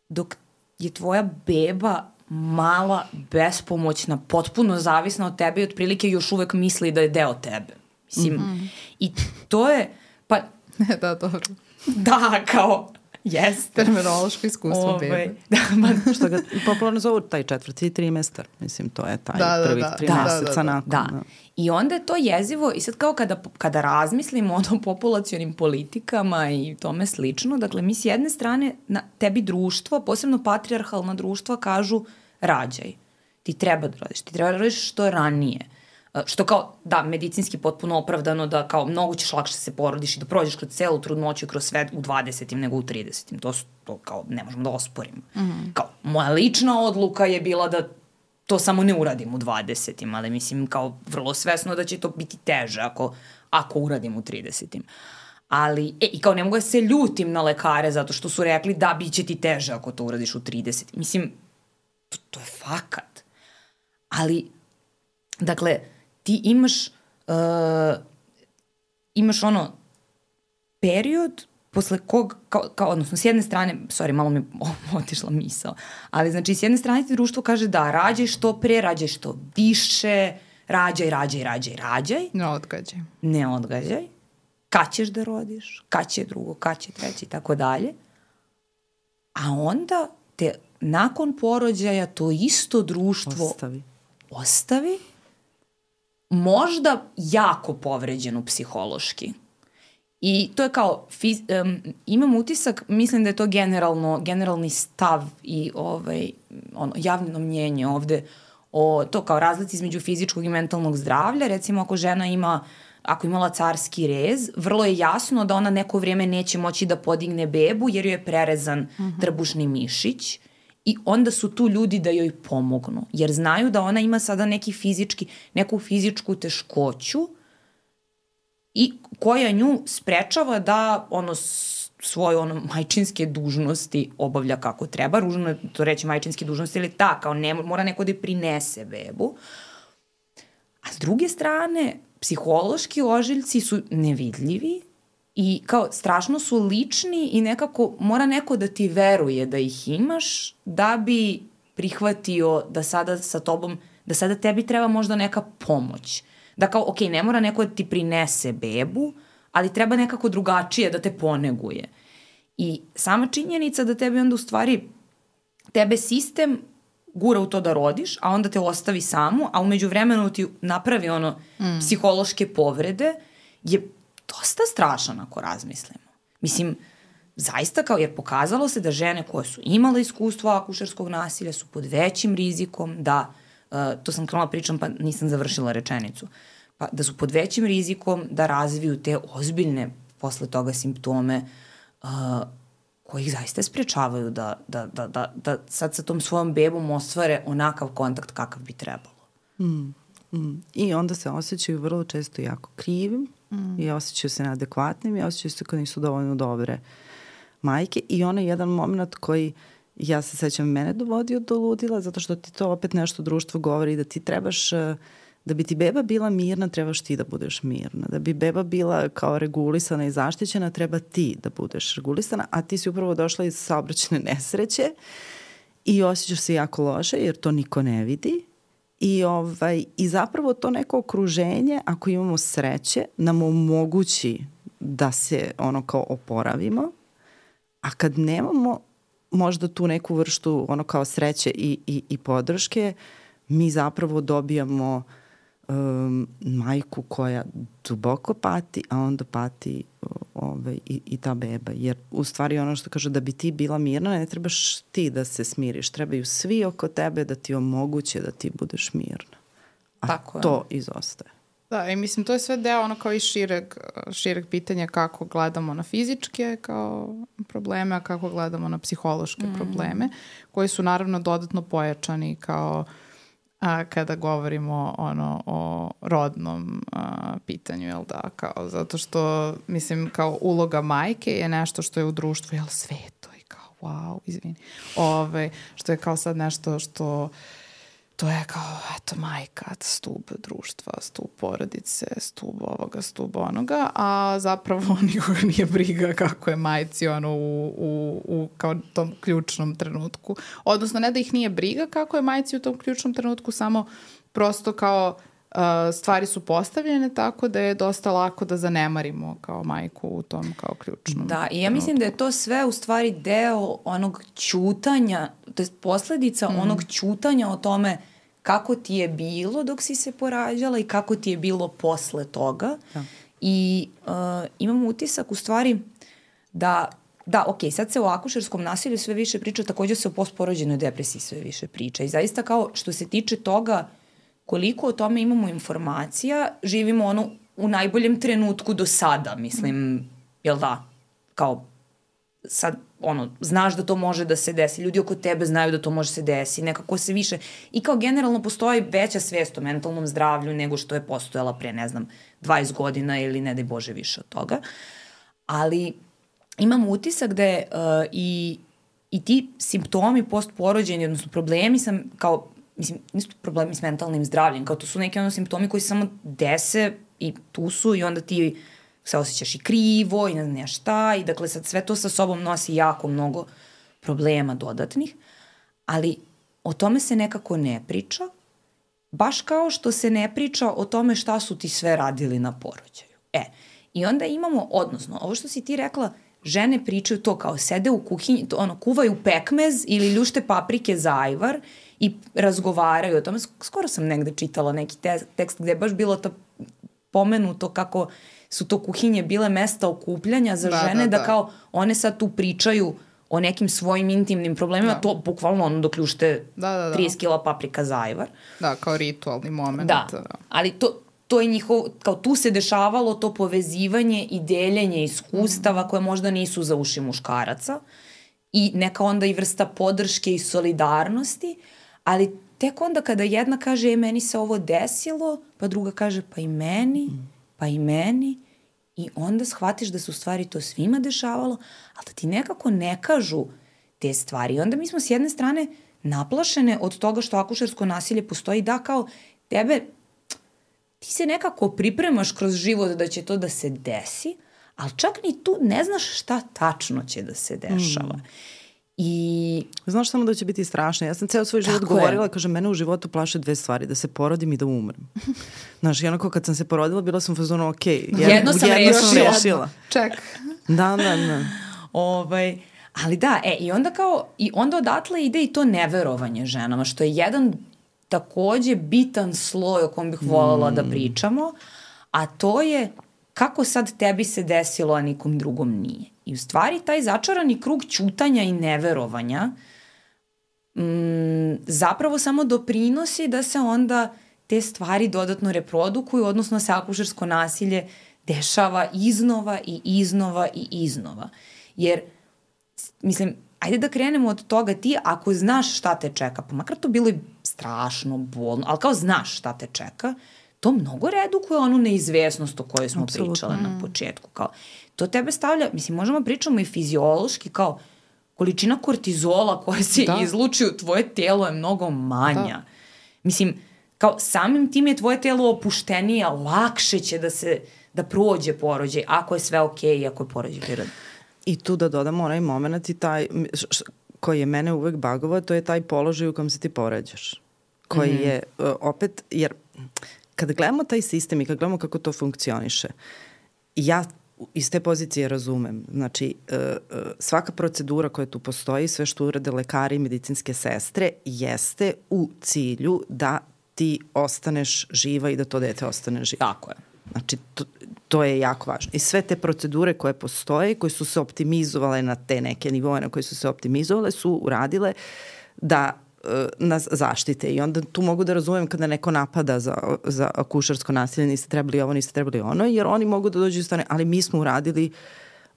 dok je tvoja beba mala, bespomoćna, potpuno zavisna od tebe i otprilike još uvek misli da je deo tebe. Mislim, i to je, pa... Da, dobro. Da, kao, jeste. Terminološko iskustvo bebe. Da, što ga popularno zovu taj 4. trimestar. Mislim, to je taj prvih 3 meseca nakon. Da. I onda je to jezivo i sad kao kada razmislimo o populacionim politikama i tome slično, dakle mi s jedne strane tebi društvo, posebno patrijarhalna društva kažu rađaj. Ti treba da rodiš što ranije. Što kao, da, medicinski potpuno opravdano da kao mnogo ćeš lakše se porodiš i da prođeš kroz celu trudnoću i kroz sve u 20. nego u 30. To kao ne možemo da osporimo. Kao, moja lična odluka je bila da to samo ne uradim u 20. ali mislim kao vrlo svesno da će to biti teže ako uradim u 30. Ali, i kao ne mogu da se ljutim na lekare zato što su rekli da bit će ti teže ako to uradiš u 30. Mislim, to je fakat. Ali, dakle, ti imaš ono period posle kog, kao, odnosno s jedne strane, malo mi otišla misao, ali znači s jedne strane ti društvo kaže da rađaj što pre, rađaj što više, rađaj. Ne odgađaj. Kad ćeš da rodiš, kad će drugo, kad će treći i tako dalje. A onda te nakon porođaja to isto društvo ostavi možda jako povređenu psihološki. I to je kao, imam utisak, mislim da je to generalni stav i javno mnjenje ovde o to kao razlici između fizičkog i mentalnog zdravlja. Recimo ako žena ako imala carski rez, vrlo je jasno da ona neko vrijeme neće moći da podigne bebu jer joj je prerezan trbušni mišić. I onda su tu ljudi da joj pomognu, jer znaju da ona ima sada neku fizičku teškoću i koja nju sprečava da svoje majčinske dužnosti obavlja kako treba. Ružno je to reći majčinske dužnosti, ili kao mora neko da prinese bebu. A s druge strane, psihološki ožiljci su nevidljivi i kao strašno su lični i nekako mora neko da ti veruje da ih imaš da bi prihvatio da sada sa tobom, da sada tebi treba možda neka pomoć. Da kao, ok, ne mora neko da ti prinese bebu, ali treba nekako drugačije da te poneguje. I sama činjenica da tebi onda u stvari, tebe sistem gura u to da rodiš, a onda te ostavi samu, a umeđu vremenu ti napravi psihološke povrede, je dosta strašan ako razmislimo. Mislim, zaista kao, jer pokazalo se da žene koje su imale iskustvo akušerskog nasilja su pod većim rizikom da, to sam krenula pričam pa nisam završila rečenicu, pa da su pod većim rizikom da razviju te ozbiljne posle toga simptome koji ih zaista sprečavaju da sad sa tom svojom bebom ostvare onakav kontakt kakav bi trebalo. I onda se osjećaju vrlo često jako krivim i osjećaju se neadekvatnim i osjećaju se kao nisu dovoljno dobre majke. I onaj jedan moment koji, ja se sećam, mene dovodio do ludila, zato što ti to opet nešto društvo govori da ti trebaš, da bi ti beba bila mirna, trebaš ti da budeš mirna. Da bi beba bila kao regulisana i zaštićena, treba ti da budeš regulisana, a ti si upravo došla iz saobraćajne nesreće i osjećaš se jako loše jer to niko ne vidi. I zapravo to neko okruženje, ako imamo sreće, nam omogući da se kao oporavimo, a kad nemamo možda tu neku vrstu kao sreće i podrške, mi zapravo dobijamo majku koja duboko pati, a onda pati i ta beba. Jer u stvari ono što kaže, da bi ti bila mirna, ne trebaš ti da se smiriš. Trebaju svi oko tebe da ti omoguće da ti budeš mirna. A tako to izostaje. Da, i mislim, to je sve deo ono kao i šireg pitanja kako gledamo na fizičke kao probleme, a kako gledamo na psihološke probleme, koji su naravno dodatno pojačani kao kada govorimo o rodnom pitanju, jel da, kao, zato što, mislim, kao uloga majke je nešto što je u društvu, jel, sveto i kao, wow, izvini, što je kao sad nešto što to je kao, eto, majka, stub društva, stub porodice, stub ovoga, stub onoga, a zapravo nikoga nije briga kako je majci u kao tom ključnom trenutku. Odnosno, ne da ih nije briga kako je majci u tom ključnom trenutku, samo prosto kao stvari su postavljene tako da je dosta lako da zanemarimo kao majku u tom kao ključnom Da, i ja mislim da je to sve u stvari deo onog ćutanja, to je posledica onog ćutanja o tome kako ti je bilo dok si se porađala i kako ti je bilo posle toga. Da. I imam utisak u stvari da, sad se o akušerskom nasilju sve više priča, takođe se o postporođenoj depresiji sve više priča. I zaista kao što se tiče toga koliko o tome imamo informacija, živimo u najboljem trenutku do sada, mislim, jel da? Kao, sad, znaš da to može da se desi, ljudi oko tebe znaju da to može se desi, nekako se više, i kao generalno postoji veća svest o mentalnom zdravlju nego što je postojala pre, 20 godina ili ne daj Bože više od toga. Ali imam utisak da je i ti simptomi postporođeni, odnosno problemi sam kao, mislim, nisu problemi s mentalnim zdravljem, kao to su neki simptomi koji se samo dese i tu su i onda ti se osjećaš i krivo i ne znam šta i dakle sad sve to sa sobom nosi jako mnogo problema dodatnih, ali o tome se nekako ne priča, baš kao što se ne priča o tome šta su ti sve radili na porođaju. I onda imamo, odnosno, ovo što si ti rekla, žene pričaju to kao sede u kuhinji, kuvaju pekmez ili ljušte paprike za ajvar i razgovaraju o tome. Skoro sam negde čitala neki tekst gde je baš bilo to pomenuto kako su to kuhinje bile mesta okupljanja za žene, da kao one sad tu pričaju o nekim svojim intimnim problemima, to bukvalno dok ljušte 30 kila paprika za ajvar. Da, kao ritualni moment. Da, ali to je njihovo, kao tu se dešavalo to povezivanje i deljenje iskustava koje možda nisu za uši muškaraca i neka onda i vrsta podrške i solidarnosti, ali tek onda kada jedna kaže meni se ovo desilo, pa druga kaže pa i meni i onda shvatiš da se u stvari to svima dešavalo, ali da ti nekako ne kažu te stvari. I onda mi smo s jedne strane naplašene od toga što akušersko nasilje postoji, da kao tebe, ti se nekako pripremaš kroz život da će to da se desi, ali čak ni tu ne znaš šta tačno će da se dešava. I znaš samo da će biti strašno. Ja sam ceo svoj život govorila, kažem, mene u životu plaše 2 stvari, da se porodim i da umrem. Znaš, jednako kad sam se porodila, bila sam u fazonu, ok, jedno sam rešila. Ček. Da. Ali da, i onda odatle ide i to neverovanje ženama, što je jedan takođe bitan sloj o kom bih voljela da pričamo, a to je kako sad tebi se desilo, a nikom drugom nije. I u stvari taj začarani krug ćutanja i neverovanja zapravo samo doprinosi da se onda te stvari dodatno reprodukuju, odnosno se akušersko nasilje dešava iznova i iznova i iznova. Jer, mislim, ajde da krenemo od toga, ti ako znaš šta te čeka, pa makar to bilo i strašno, bolno, ali kao znaš šta te čeka, to mnogo redukuje onu neizvesnost o kojoj smo pričale na početku. Kao, to tebe stavlja, mislim, možemo pričamo i fiziološki, kao količina kortizola koja se izluči u tvoje telo je mnogo manja. Mislim, kao samim tim je tvoje telo opuštenije, lakše će da prođe porođaj, ako je sve okej i ako je porođaj prirodno. I tu da dodamo onaj moment i taj, koji je mene uvek bagovao, to je taj položaj u kojem se ti porađaš. Koji je, opet, jer kada gledamo taj sistem i kada gledamo kako to funkcioniše, ja iz te pozicije razumem. Znači, svaka procedura koja tu postoji, sve što urade lekari i medicinske sestre, jeste u cilju da ti ostaneš živa i da to dete ostane živo. Tako je. Znači, to je jako važno. I sve te procedure koje postoje, koje su se optimizovale na te neke nivoje na koje su se optimizovale, su uradile da nas zaštite. I onda tu mogu da razumem kada neko napada za akušersko nasilje, niste trebali ovo, niste trebali ono, jer oni mogu da dođu iz strane, ali mi smo uradili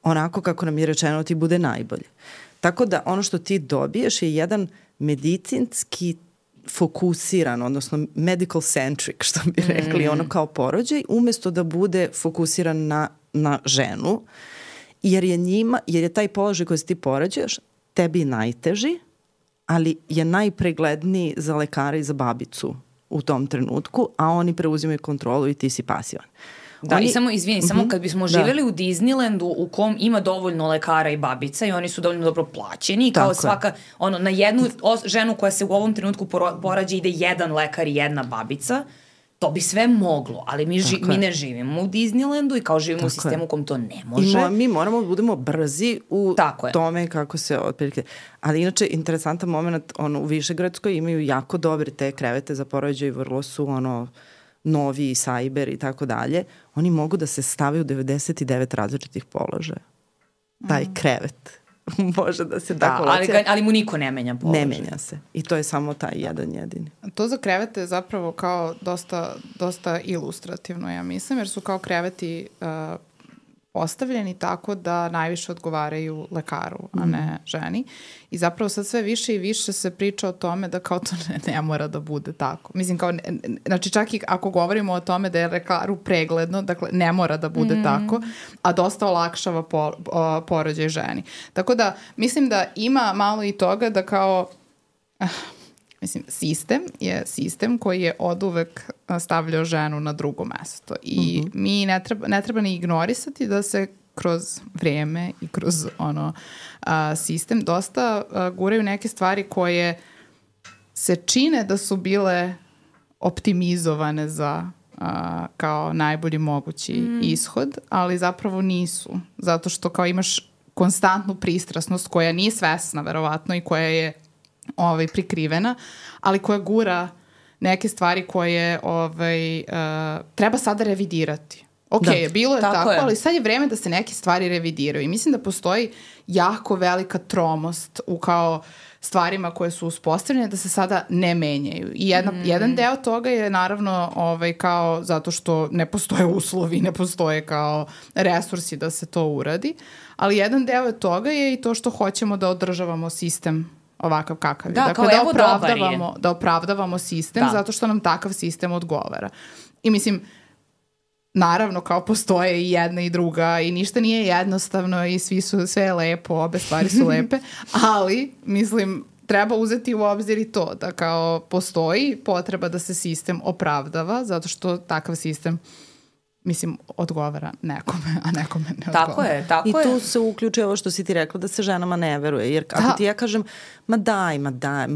onako kako nam je rečeno ti bude najbolje. Tako da ono što ti dobiješ je jedan medicinski fokusiran, odnosno medical centric, što bi rekli, ono kao porođaj, umesto da bude fokusiran na ženu, jer je taj položaj koji se ti porađaš tebi najteži, ali je najpregledniji za lekara i za babicu u tom trenutku, a oni preuzimaju kontrolu i ti si pasivan. Da, i samo kad bismo živjeli u Disneylandu u kom ima dovoljno lekara i babica i oni su dovoljno dobro plaćeni i kao svaka, na jednu ženu koja se u ovom trenutku porađa ide jedan lekar i jedna babica, to bi sve moglo, ali mi ne živimo u Disneylandu i kao živimo u sistemu u kom to ne može. I mi moramo da budemo brzi u tome kako se otprilike. Ali inače, interesantan moment, u Višegradskoj imaju jako dobre te krevete za porođaj, vrlo su novi, sajber i tako dalje. Oni mogu da se stave u 99 različitih položaja. Taj krevet može da se tako locira. Ali mu niko ne menja položaj. Ne menja se. I to je samo taj jedan jedini. To za krevete je zapravo kao dosta ilustrativno, ja mislim, jer su kao kreveti postavljeni tako da najviše odgovaraju lekaru, a ne ženi. I zapravo sad sve više i više se priča o tome da kao to ne mora da bude tako. Mislim, znači čak i ako govorimo o tome da je lekaru pregledno, dakle ne mora da bude tako, a dosta olakšava porođaj ženi. Tako da mislim da ima malo i toga da kao... Mislim, sistem je sistem koji je oduvek stavljao ženu na drugo mesto i mi ne treba ni ignorisati da se kroz vreme i kroz sistem dosta guraju neke stvari koje se čine da su bile optimizovane za kao najbolji mogući ishod, ali zapravo nisu. Zato što kao imaš konstantnu pristrasnost koja nije svesna verovatno i koja je prikrivena, ali koja gura neke stvari koje treba sada revidirati. Bilo je tako, ali sad je vreme da se neke stvari revidiraju i mislim da postoji jako velika tromost u kao stvarima koje su uspostavljene da se sada ne menjaju. I jedan deo toga je naravno kao zato što ne postoje uslovi, ne postoje kao resursi da se to uradi, ali jedan deo toga je i to što hoćemo da održavamo sistem ovakav kakav je. Dakle, da opravdavamo sistem zato što nam takav sistem odgovara. I mislim, naravno kao postoje i jedna i druga i ništa nije jednostavno i sve je lepo, obe stvari su lepe, ali mislim treba uzeti u obzir i to da kao postoji potreba da se sistem opravdava zato što takav sistem mislim, odgovara nekome, a nekome ne odgovara. Tako je. I tu se uključuje ovo što si ti rekla da se ženama ne veruje. Jer ako ti ja kažem, ma daj,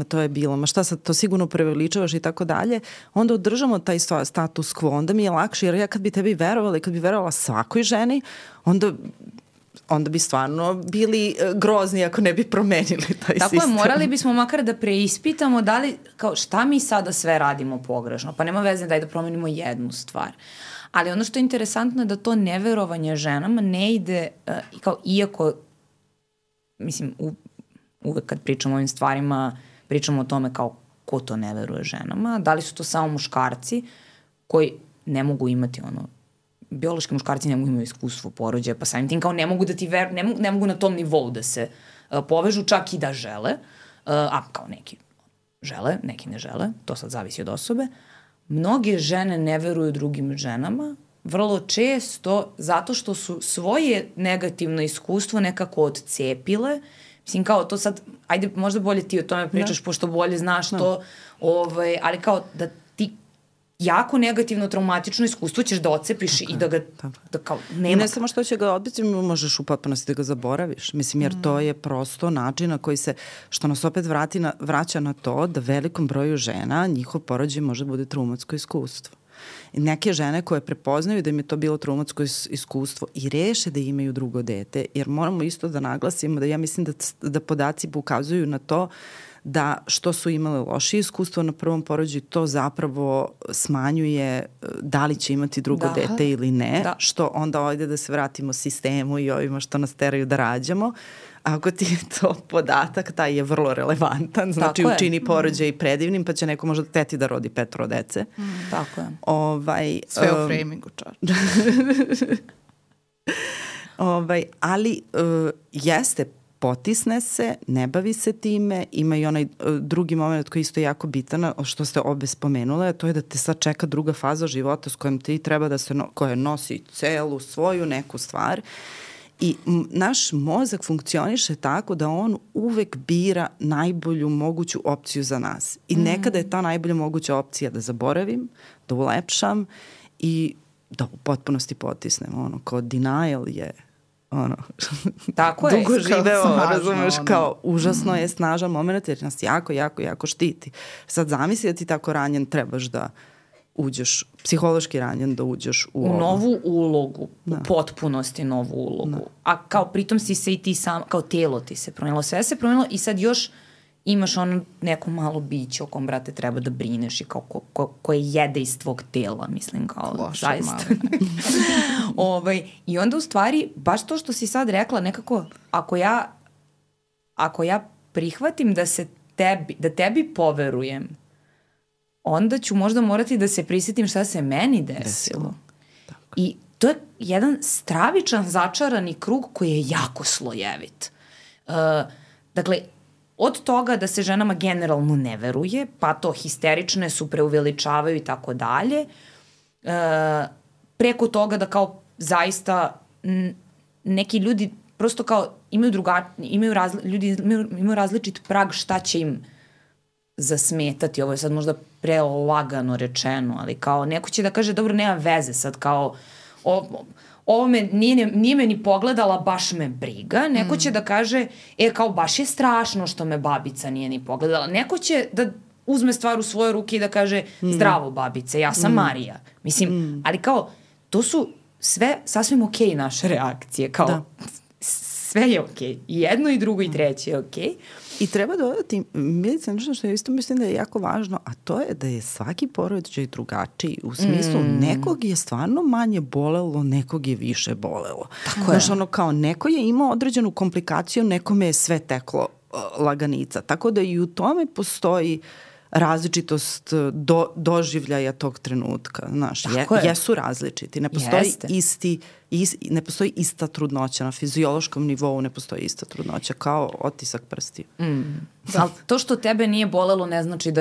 to je bilo, ma šta sad, to sigurno preveličavaš i tako dalje, onda održamo taj status quo, onda mi je lakše, jer ja kad bi tebi verovala i kad bi verovala svakoj ženi, onda bi stvarno bili grozni ako ne bi promenili taj sistem. Tako je, morali bismo makar da preispitamo da li, kao šta mi sada sve radimo pogrešno, pa nema veze da promenimo jednu stvar. Ali ono što je interesantno je da to neverovanje ženama ne ide, kao iako, mislim, uvek kad pričamo o ovim stvarima, pričamo o tome kao ko to ne veruje ženama, da li su to samo muškarci koji ne mogu imati biološki muškarci ne mogu imati iskustvo porođaja, pa samim tim kao ne mogu da ti ne mogu na tom nivou da se povežu, čak i da žele, a kao neki žele, neki ne žele, to sad zavisi od osobe. Mnoge žene ne veruju drugim ženama, vrlo često zato što su svoje negativno iskustvo nekako odcepile. Mislim, kao to sad, ajde, možda bolje ti o tome pričaš, pošto bolje znaš to, ali kao da ti jako negativno, traumatično iskustvo ćeš da odcepiš i da ga kao nema. I ne samo što će ga odbiti, možeš u potpunosti da ga zaboraviš. Mislim, jer to je prosto način na koji se, što nas opet vraća na to da velikom broju žena njihov porođaj može bude traumatsko iskustvo. I neke žene koje prepoznaju da im je to bilo traumatsko iskustvo i reše da imaju drugo dete, jer moramo isto da naglasimo da ja mislim da podaci ukazuju na to da što su imale loše iskustvo na prvom porođaju, to zapravo smanjuje da li će imati drugo dete ili ne, što onda ovdje da se vratimo sistemu i ovima što nas teraju da rađamo, ako ti je to podatak, taj je vrlo relevantan, znači učini porođaj predivnim, pa će neko možda teti da rodi 5 dece. Tako je. Sve u framingu, čar. Ali jeste, potisne se, ne bavi se time, ima i onaj drugi moment koji je isto jako bitan, što ste obe spomenule, to je da te sad čeka druga faza života s kojom ti treba da se, koja nosi celu svoju neku stvar. I naš mozak funkcioniše tako da on uvek bira najbolju moguću opciju za nas. I nekada je ta najbolja moguća opcija da zaboravim, da ulepšam i da u potpunosti potisnem. Kao denial je tako je, dugo živeo, razumeš, kao užasno je snažan moment jer nas jako štiti. Sad zamisli da ti tako ranjen trebaš da uđeš, psihološki ranjen da uđeš u novu ulogu, u potpunosti novu ulogu. A kao pritom si se i ti sam, kao telo ti se promenilo, sve se promenilo i sad još imaš ono neko malo biće o kom, brate, treba da brineš i kao koje jede iz tvog tela, mislim, kao loše, zaista. I onda u stvari, baš to što si sad rekla, nekako, ako ja prihvatim da tebi poverujem, onda ću možda morati da se prisjetim šta se meni desilo. I to je jedan stravičan začarani krug koji je jako slojevit. Dakle, od toga da se ženama generalno ne veruje, pa to histerične su, preuveličavaju i tako dalje, preko toga da kao zaista neki ljudi prosto kao imaju različit prag šta će im zasmetati. Ovo je sad možda prelagano rečeno, ali kao neko će da kaže dobro, nema veze sad, kao ovo me nije me ni pogledala, baš me briga. Neko će da kaže, kao baš je strašno što me babica nije ni pogledala. Neko će da uzme stvar u svoje ruke i da kaže zdravo babice, ja sam Marija. Mislim, ali kao to su sve sasvim okej naše reakcije, kao sve je okej. I jedno i drugo i treće je okej. I treba dodati, Milica, nešto što je isto mislim da je jako važno, a to je da je svaki porođaj drugačiji. U smislu, nekog je stvarno manje bolelo, nekog je više bolelo. Tako je. Znaš, kao neko je imao određenu komplikaciju, nekome je sve teklo laganica. Tako da i u tome postoji različitost doživljaja tog trenutka. Znaš, jesu različiti. Ne postoji ne postoji ista trudnoća na fiziološkom nivou, ne postoji ista trudnoća kao otisak prstiju. Ali to što tebe nije bolelo ne znači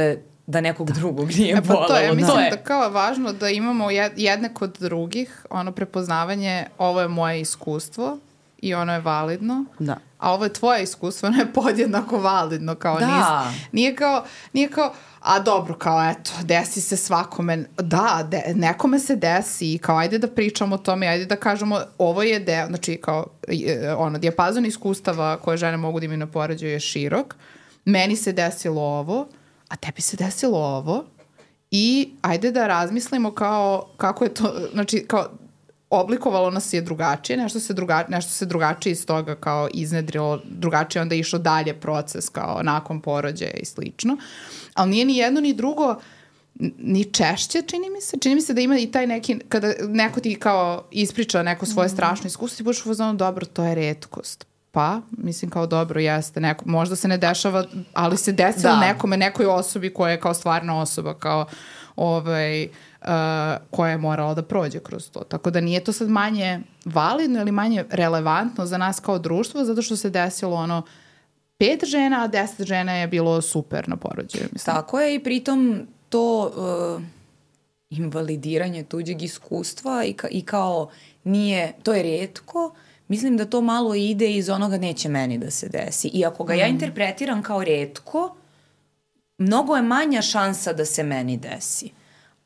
da nekog drugog nije bolelo. To je, mislim da kao je važno da imamo jedne kod drugih, prepoznavanje, ovo je moje iskustvo i ono je validno, a ovo je tvoje iskustvo, ono je podjednako validno, kao nije kao a dobro, kao eto, desi se svakome, nekome se desi i kao ajde da pričamo o tome, ajde da kažemo ovo je deo, znači kao dijapazon iskustava koje žene mogu da imaju na porođaju je širok, meni se desilo ovo, a tebi se desilo ovo i ajde da razmislimo kao kako je to, znači kao oblikovalo nas je drugačije, nešto se drugačije iz toga kao iznedrilo, drugačije onda išao dalje proces kao nakon porođaja i slično. Ali nije ni jedno ni drugo ni češće, čini mi se da ima i taj neki, kada neko ti kao ispriča neko svoje strašno iskustvo, ti budeš u fazonu, dobro, to je retkost. Pa, mislim kao dobro, jeste, možda se ne dešava, ali se desilo nekoj osobi koja je kao stvarna osoba, kao koja je morala da prođe kroz to. Tako da nije to sad manje validno ili manje relevantno za nas kao društvo, zato što se desilo 5 žena, a 10 žena je bilo super na porođaju. Mislim. Tako je i pritom to invalidiranje tuđeg iskustva i kao nije, to je rijetko, mislim da to malo ide iz onoga neće meni da se desi. I ako ga ja interpretiram kao rijetko, mnogo je manja šansa da se meni desi.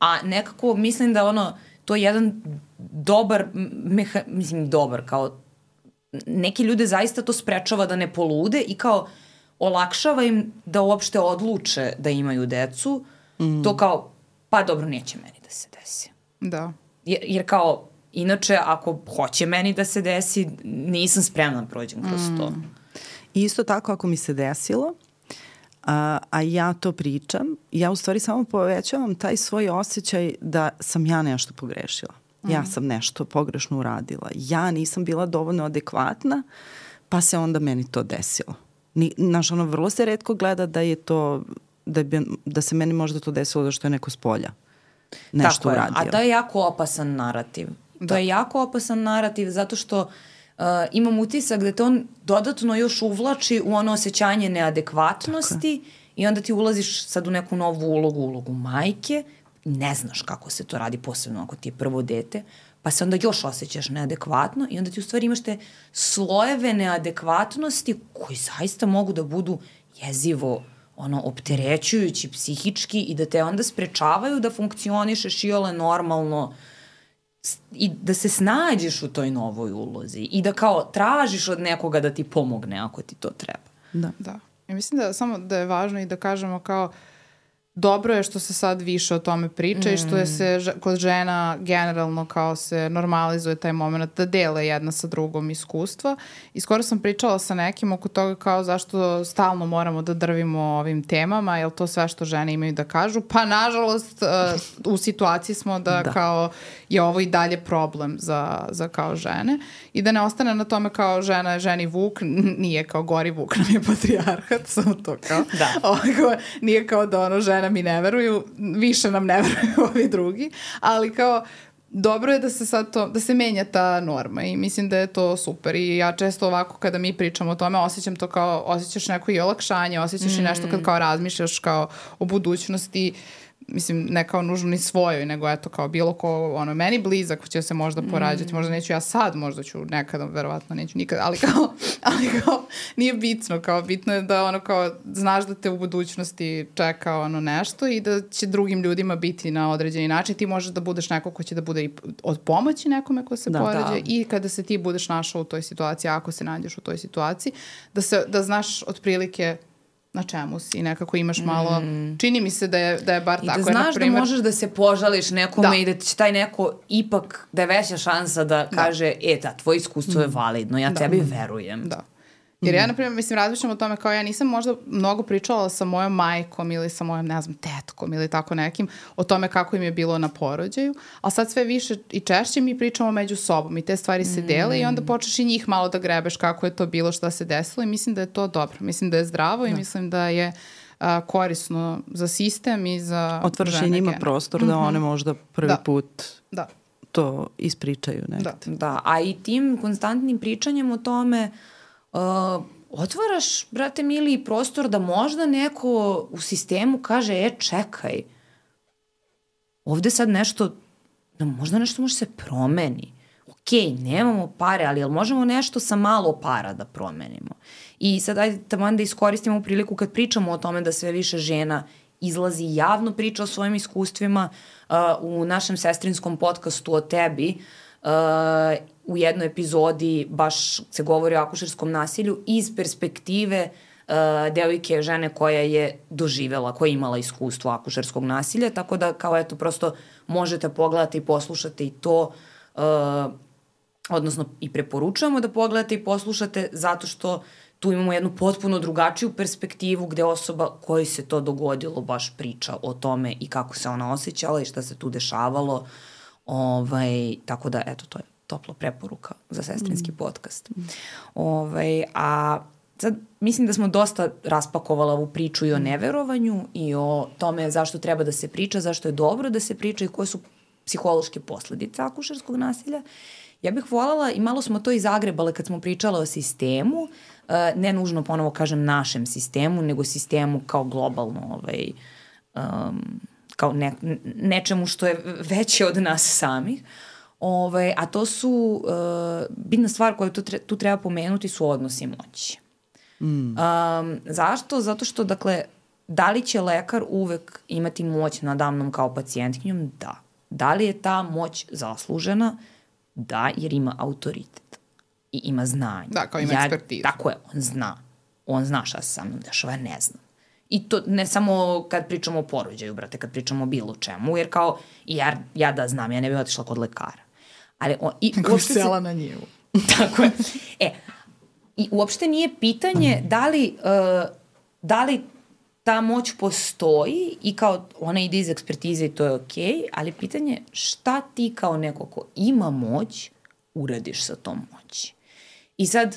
A nekako mislim da to je jedan dobar, kao neki ljude zaista to sprečava da ne polude i kao olakšava im da uopšte odluče da imaju decu. To kao, pa dobro, neće meni da se desi. Da. Jer kao, inače, ako hoće meni da se desi, nisam spremna da prođem kroz to. Isto tako, ako mi se desilo, a ja to pričam, ja u stvari samo povećavam taj svoj osjećaj da sam ja nešto pogrešila. Ja sam nešto pogrešno uradila. Ja nisam bila dovoljno adekvatna, pa se onda meni to desilo. Znaš, ono, vrlo se retko gleda da je to, da se meni možda to desilo da što je neko s polja nešto uradio. A to je jako opasan narativ. To je jako opasan narativ zato što imam utisak da te on dodatno još uvlači u ono osjećanje neadekvatnosti i onda ti ulaziš sad u neku novu ulogu majke, ne znaš kako se to radi, posebno ako ti je prvo dete, pa se onda još osjećaš neadekvatno i onda ti u stvari imaš te slojeve neadekvatnosti koji zaista mogu da budu jezivo opterećujući psihički i da te onda sprečavaju da funkcionišeš iole normalno i da se snađeš u toj novoj ulozi i da kao tražiš od nekoga da ti pomogne ako ti to treba. Da. I mislim da samo da je važno i da kažemo kao dobro je što se sad više o tome priča i što je se kod žena generalno kao se normalizuje taj moment da dele jedna sa drugom iskustva. I skoro sam pričala sa nekim oko toga kao zašto stalno moramo da drvimo ovim temama, jer to sve što žene imaju da kažu. Pa nažalost u situaciji smo da kao je ovo i dalje problem za kao žene i da ne ostane na tome kao žena je ženi vuk, nije kao gori vuk, nam je patrijarhat, samo to kao. Nije kao da ono žena mi ne veruju, više nam ne veruju ovi drugi, ali kao dobro je da se sad to, da se menja ta norma i mislim da je to super i ja često ovako kada mi pričamo o tome osjećam to kao, osjećaš neko i olakšanje, osjećaš i nešto kad kao razmišljaš kao o budućnosti, mislim, ne kao nužno ni svojoj, nego eto kao bilo ko, meni blizak će se možda porađati, možda neću ja sad, možda ću nekada, verovatno neću nikad, ali kao nije bitno, kao bitno je da kao znaš da te u budućnosti čeka nešto i da će drugim ljudima biti na određeni način, ti možeš da budeš neko ko će da bude i od pomoći nekome ko se porađa i kada se ti budeš našao u toj situaciji, ako se nađeš u toj situaciji, da znaš otprilike na čemu si, nekako imaš malo, čini mi se da je bar tako. I da znaš da možeš da se požališ nekome i da će taj neko ipak, da je veća šansa da kaže, tvoje iskustvo je validno, ja tebi verujem. Da. Jer ja, na primjer, mislim, razmišljam o tome kao ja nisam možda mnogo pričala sa mojom majkom ili sa mojom, ne znam, tetkom ili tako nekim o tome kako im je bilo na porođaju, ali sad sve više i češće mi pričamo među sobom i te stvari se dele i onda počneš i njih malo da grebeš kako je to bilo, šta se desilo i mislim da je to dobro. Mislim da je zdravo i mislim da je korisno za sistem i za žene. Otvaraš i njima prostor da one možda prvi put to ispričaju nekad. Da, a i tim konstantnim pričanjem o tome otvaraš, brate mili, prostor da možda neko u sistemu kaže, čekaj, ovde sad nešto, da možda nešto može se promeni. Okej, nemamo pare, ali jel možemo nešto sa malo para da promenimo? I sad ajde tamo da iskoristimo priliku kad pričamo o tome da sve više žena izlazi javno priča o svojim iskustvima u našem sestrinskom podcastu o tebi, u jednoj epizodi baš se govori o akušerskom nasilju iz perspektive devojke, žene koja je doživela, koja je imala iskustvo akušerskog nasilja, tako da kao eto prosto možete pogledati i poslušati i to, odnosno i preporučujemo da pogledate i poslušate zato što tu imamo jednu potpuno drugačiju perspektivu gde osoba kojoj se to dogodilo baš priča o tome i kako se ona osjećala i šta se tu dešavalo. Tako da, eto, to je topla preporuka za sestrinski podcast. A sad mislim da smo dosta raspakovala ovu priču i o neverovanju i o tome zašto treba da se priča, zašto je dobro da se priča i koje su psihološke posledice akušerskog nasilja. Ja bih voljela, i malo smo to i zagrebale kad smo pričale o sistemu, ne nužno ponovo kažem našem sistemu, nego sistemu kao globalno, kao nečemu što je veće od nas samih. A to su, bitna stvar koju tu treba pomenuti su odnosi moći. Zašto? Zato što, dakle, da li će lekar uvek imati moć nadamnom kao pacijentkinjom? Da. Da li je ta moć zaslužena? Da, jer ima autoritet i ima znanje. Da, kao ima ekspertizu. Tako je, on zna. On zna šta se sa mnom dešava, ja ne znam. I to ne samo kad pričamo o porođaju, brate, kad pričamo o bilo čemu, jer kao, ja da znam, ja ne bih otišla kod lekara. Ali Kako sela na njivu. Tako je. I uopšte nije pitanje da li ta moć postoji i kao ona ide iz ekspertize i to je okej, ali pitanje šta ti kao neko ko ima moć uradiš sa tom moći. I sad,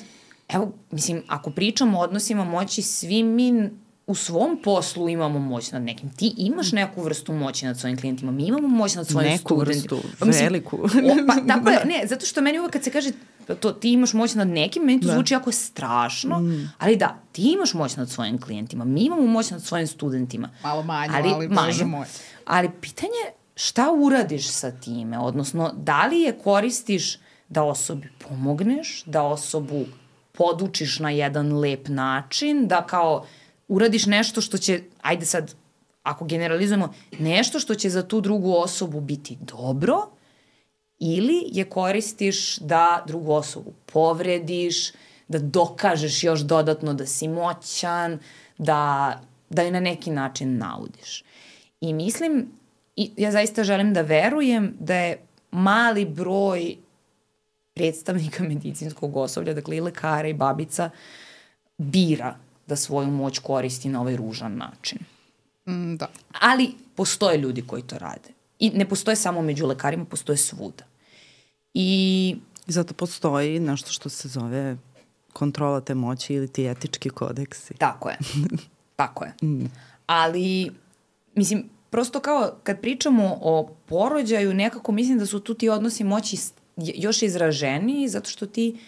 evo, mislim, ako pričamo o odnosima moći, svi mi u svom poslu imamo moć nad nekim. Ti imaš neku vrstu moći nad svojim klijentima, mi imamo moć nad svojim studentima. Neku vrstu, veliku. Tako je, ne, zato što meni uvek kad se kaže ti imaš moć nad nekim, meni to zvuči jako strašno, ali da, ti imaš moć nad svojim klijentima, mi imamo moć nad svojim studentima. Malo manje, ali Bože moj. Ali pitanje šta uradiš sa time, odnosno da li je koristiš da osobi pomogneš, da osobu podučiš na jedan lep način, da kao uradiš nešto što će, ajde sad, ako generalizujemo, nešto što će za tu drugu osobu biti dobro, ili je koristiš da drugu osobu povrediš, da dokažeš još dodatno da si moćan, da je na neki način naudiš. I mislim, ja zaista želim da verujem da je mali broj predstavnika medicinskog osoblja, dakle i lekara i babica, bira da svoju moć koristi na ovaj ružan način. Da. Ali postoje ljudi koji to rade. I ne postoje samo među lekarima, postoje svuda. I zato postoji nešto što se zove kontrola te moći ili ti etički kodeksi. Tako je. Tako je. Ali, mislim, prosto kao kad pričamo o porođaju, nekako mislim da su tu ti odnosi moći još izraženiji, zato što ti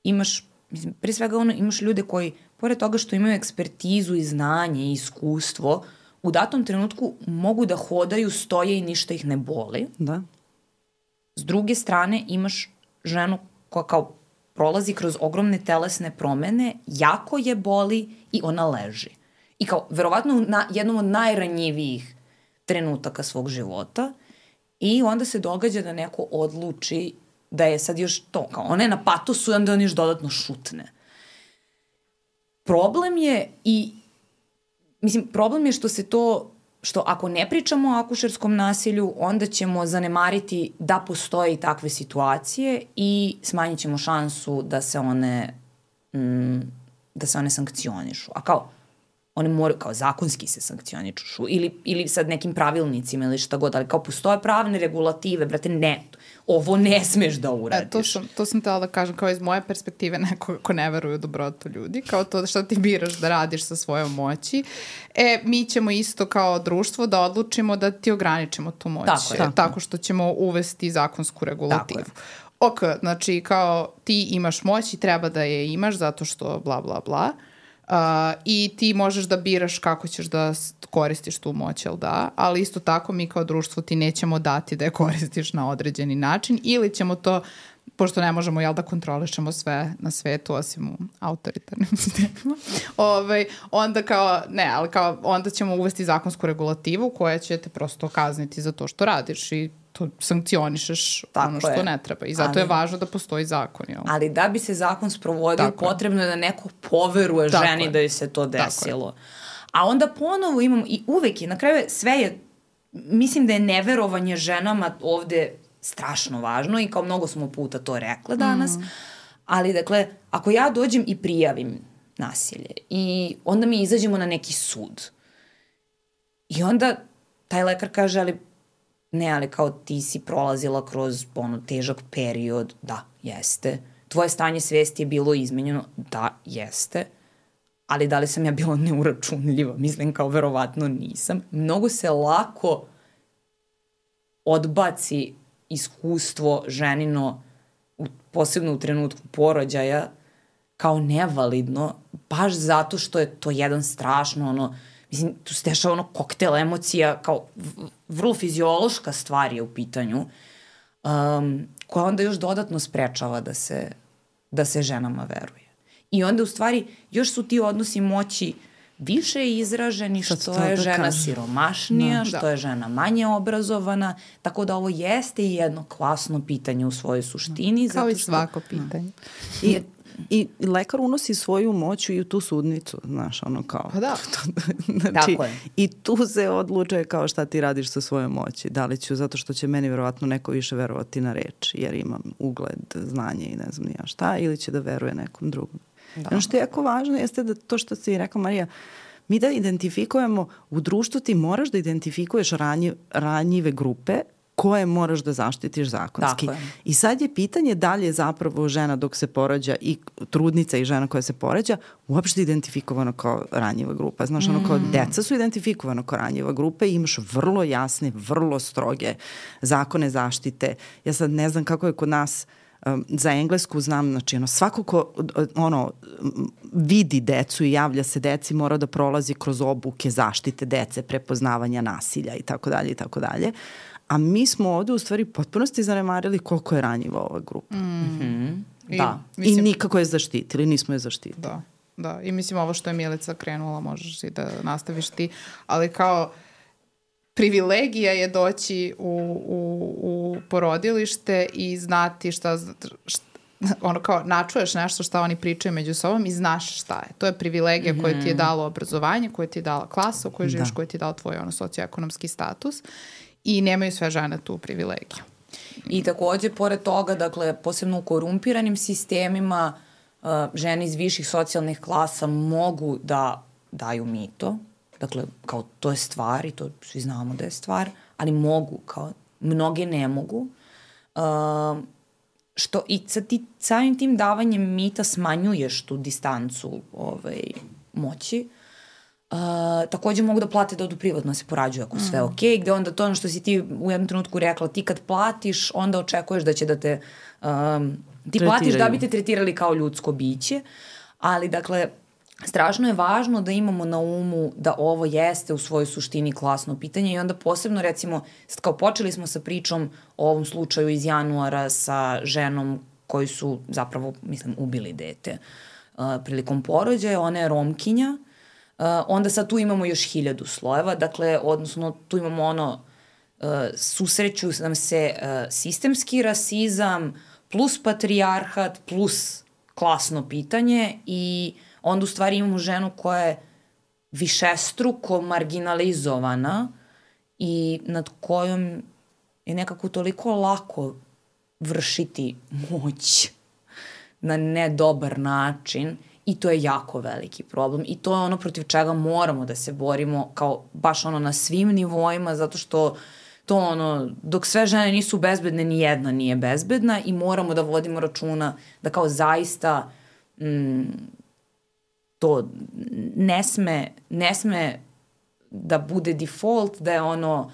imaš, mislim, pre svega imaš ljude koji, pored toga što imaju ekspertizu i znanje i iskustvo, u datom trenutku mogu da hodaju, stoje i ništa ih ne boli. Da. S druge strane imaš ženu koja kao prolazi kroz ogromne telesne promene, jako je boli i ona leži. I kao, verovatno u jednom od najranjivijih trenutaka svog života, i onda se događa da neko odluči da je sad još to, kao ona je na patosu i onda on još dodatno šutne. Problem je problem je što se to, što ako ne pričamo o akušerskom nasilju, onda ćemo zanemariti da postoje i takve situacije i smanjit ćemo šansu da se one sankcionišu. A kao, one moraju, kao zakonski se sankcionišu ili sad nekim pravilnicima ili šta god, ali kao postoje pravne regulative, brate, ne, ovo ne smeš da uradiš. To sam htjela da kažem, kao iz moje perspektive neko ko ne veruje u dobrotu ljudi, kao to šta ti biraš da radiš sa svojom moći. Mi ćemo isto kao društvo da odlučimo da ti ograničimo tu moć. Tako što ćemo uvesti zakonsku regulativu. Ok, znači kao ti imaš moć i treba da je imaš zato što bla bla bla. I ti možeš da biraš kako ćeš da koristiš tu moć, jel da? Ali isto tako mi kao društvo ti nećemo dati da je koristiš na određeni način ili ćemo to, pošto ne možemo da kontrolišemo sve na svetu osim u autoritarnim sistemima, onda kao, ne, ali kao onda ćemo uvesti zakonsku regulativu koja će te prosto kazniti za to što radiš i to sankcionišeš ono što ne treba. I zato je važno da postoji zakon. Jel? Ali da bi se zakon sprovodio, potrebno je da neko poveruje ženi da joj se to desilo. A onda ponovo imamo, i uvek je, na kraju sve je, mislim da je neverovanje ženama ovde strašno važno i kao mnogo smo puta to rekle danas, ali dakle, ako ja dođem i prijavim nasilje i onda mi izađemo na neki sud i onda taj lekar kaže, ali kao ti si prolazila kroz težak period, da, jeste. Tvoje stanje svesti je bilo izmenjeno, da, jeste. Ali da li sam ja bila neuračunljiva? Mislim, kao verovatno nisam. Mnogo se lako odbaci iskustvo ženino, posebno u trenutku porođaja, kao nevalidno, baš zato što je to jedan strašno, mislim, tu se dešava koktel emocija, kao vrlo fiziološka stvar je u pitanju, koja onda još dodatno sprečava da se ženama veruje. I onda u stvari još su ti odnosi moći više izraženi, što je žena siromašnija, što je žena manje obrazovana, tako da ovo jeste i jedno klasno pitanje u svojoj suštini. Kao i svako pitanje. I lekar unosi svoju moć i u tu sudnicu, znaš, kao. Pa da. Znači, tako je. I tu se odlučuje kao šta ti radiš sa svojom moći. Da li ću, zato što će meni verovatno neko više verovati na reč, jer imam ugled, znanje i ne znam ni ja šta, ili će da veruje nekom drugom. Ono što je jako važno jeste da to što si rekla, Marija, mi da identifikujemo, u društvu ti moraš da identifikuješ ranjive grupe koje moraš da zaštitiš zakonski. I sad je pitanje da li je zapravo žena dok se porađa i trudnica i žena koja se porađa uopšte identifikovana kao ranjiva grupa. Znaš, ono kao deca su identifikovana kao ranjiva grupa i imaš vrlo jasne, vrlo stroge zakone zaštite. Ja sad ne znam kako je kod nas za Englesku znam, znači svako ko vidi decu i javlja se deci mora da prolazi kroz obuke zaštite dece, prepoznavanja nasilja i tako dalje i tako dalje. A mi smo ovde u stvari potpunosti zanemarili koliko je ranjiva ova grupa. Da. I nikako je zaštitili, nismo je zaštitili. Da. I mislim ovo što je Milica krenula, možeš i da nastaviš ti, ali kao privilegija je doći u porodilište i znati ono kao načuješ nešto šta oni pričaju među sobom i znaš šta je. To je privilegija koja ti je dalo obrazovanje, koja ti je dala klasa u kojoj živiš, koja ti je dala tvoj socioekonomski status i nemaju sve žene tu privilegiju. I takođe, pored toga, dakle, posebno u korumpiranim sistemima, žene iz viših socijalnih klasa mogu da daju mito. Dakle, kao to je stvar i to svi znamo da je stvar, ali mogu, kao mnoge ne mogu. Što i ti samim tim davanjem mita smanjuješ tu distancu moći. Takođe mogu da plate da odu privatno se porađuju ako sve okej, gde onda to ono što si ti u jednom trenutku rekla, ti kad platiš, onda očekuješ da će da te ti platiš da bi te tretirali kao ljudsko biće, ali dakle strašno je važno da imamo na umu da ovo jeste u svojoj suštini klasno pitanje i onda posebno recimo, sad kao počeli smo sa pričom o ovom slučaju iz januara sa ženom koji su zapravo, mislim, ubili dete prilikom porođaja, ona je Romkinja, onda sad tu imamo još 1000 slojeva, dakle, odnosno tu imamo susreću nam se sistemski rasizam plus patrijarhat plus klasno pitanje i onda u stvari imamo ženu koja je višestruko marginalizovana i nad kojom je nekako toliko lako vršiti moć na nedobar način i to je jako veliki problem i to je ono protiv čega moramo da se borimo kao baš ono na svim nivoima zato što to ono, dok sve žene nisu bezbedne, ni jedna nije bezbedna i moramo da vodimo računa da kao zaista to ne sme da bude default, da je ono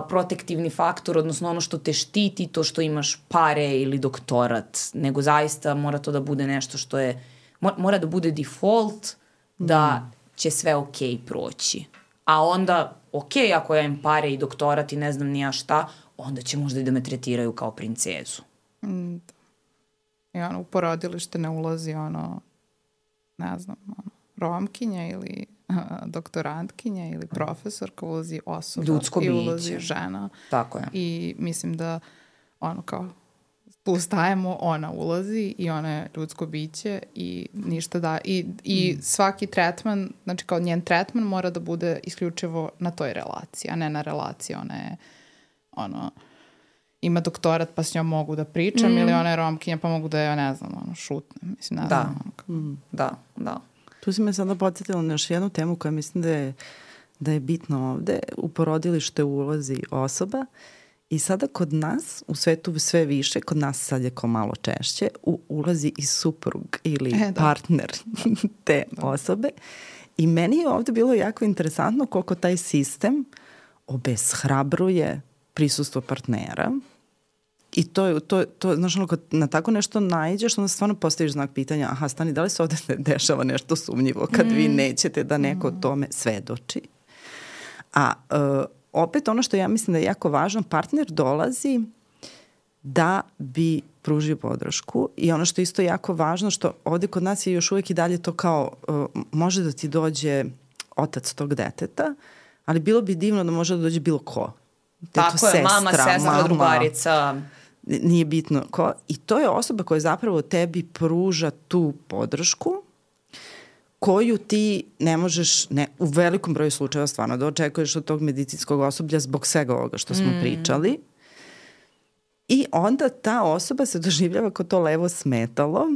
protektivni faktor, odnosno ono što te štiti, to što imaš pare ili doktorat, nego zaista mora to da bude nešto što je, mora da bude default da će sve okej proći. A onda, okej, ako ja imam pare i doktorat i ne znam ni ja šta, onda će možda i da me tretiraju kao princezu. I ono, u porodilište ne ulazi ono, ne znam, Romkinja ili doktorantkinja ili profesorka, ulazi osoba ljudsko biće. I ulazi žena. Tako je. I mislim da ono kao tu stajemo, ona ulazi i ona je ljudsko biće i ništa da. I svaki tretman, znači kao njen tretman mora da bude isključivo na toj relaciji, a ne na relaciji. Ona je ono, ima doktorat pa s njom mogu da pričam ili ona je Romkinja pa mogu da je, ne znam, ono, šutnem. Mislim, ne znam. Da. Tu si me sada podsjetila na još jednu temu koja mislim da je bitno ovde. U porodilište ulazi osoba i sada kod nas, u svetu sve više, kod nas sad je kao malo češće, ulazi i suprug ili partner te osobe. I meni je ovde bilo jako interesantno koliko taj sistem obeshrabruje prisustvo partnera. I to znaš, ono, kad na tako nešto naiđeš, onda stvarno postaviš znak pitanja, aha, stani, da li se ovde dešava nešto sumnjivo kad vi nećete da neko o tome svedoči? A opet ono što ja mislim da je jako važno, partner dolazi da bi pružio podršku i ono što je isto jako važno, što ovde kod nas je još uvek i dalje to kao, može da ti dođe otac tog deteta, ali bilo bi divno da može da dođe bilo ko. Tako je, mama, sestra, drugarica. Nije bitno ko. I to je osoba koja zapravo tebi pruža tu podršku koju ti ne možeš, u velikom broju slučajeva stvarno da očekuješ od tog medicinskog osoblja zbog svega ovoga što smo pričali. I onda ta osoba se doživljava kao to levo smetalo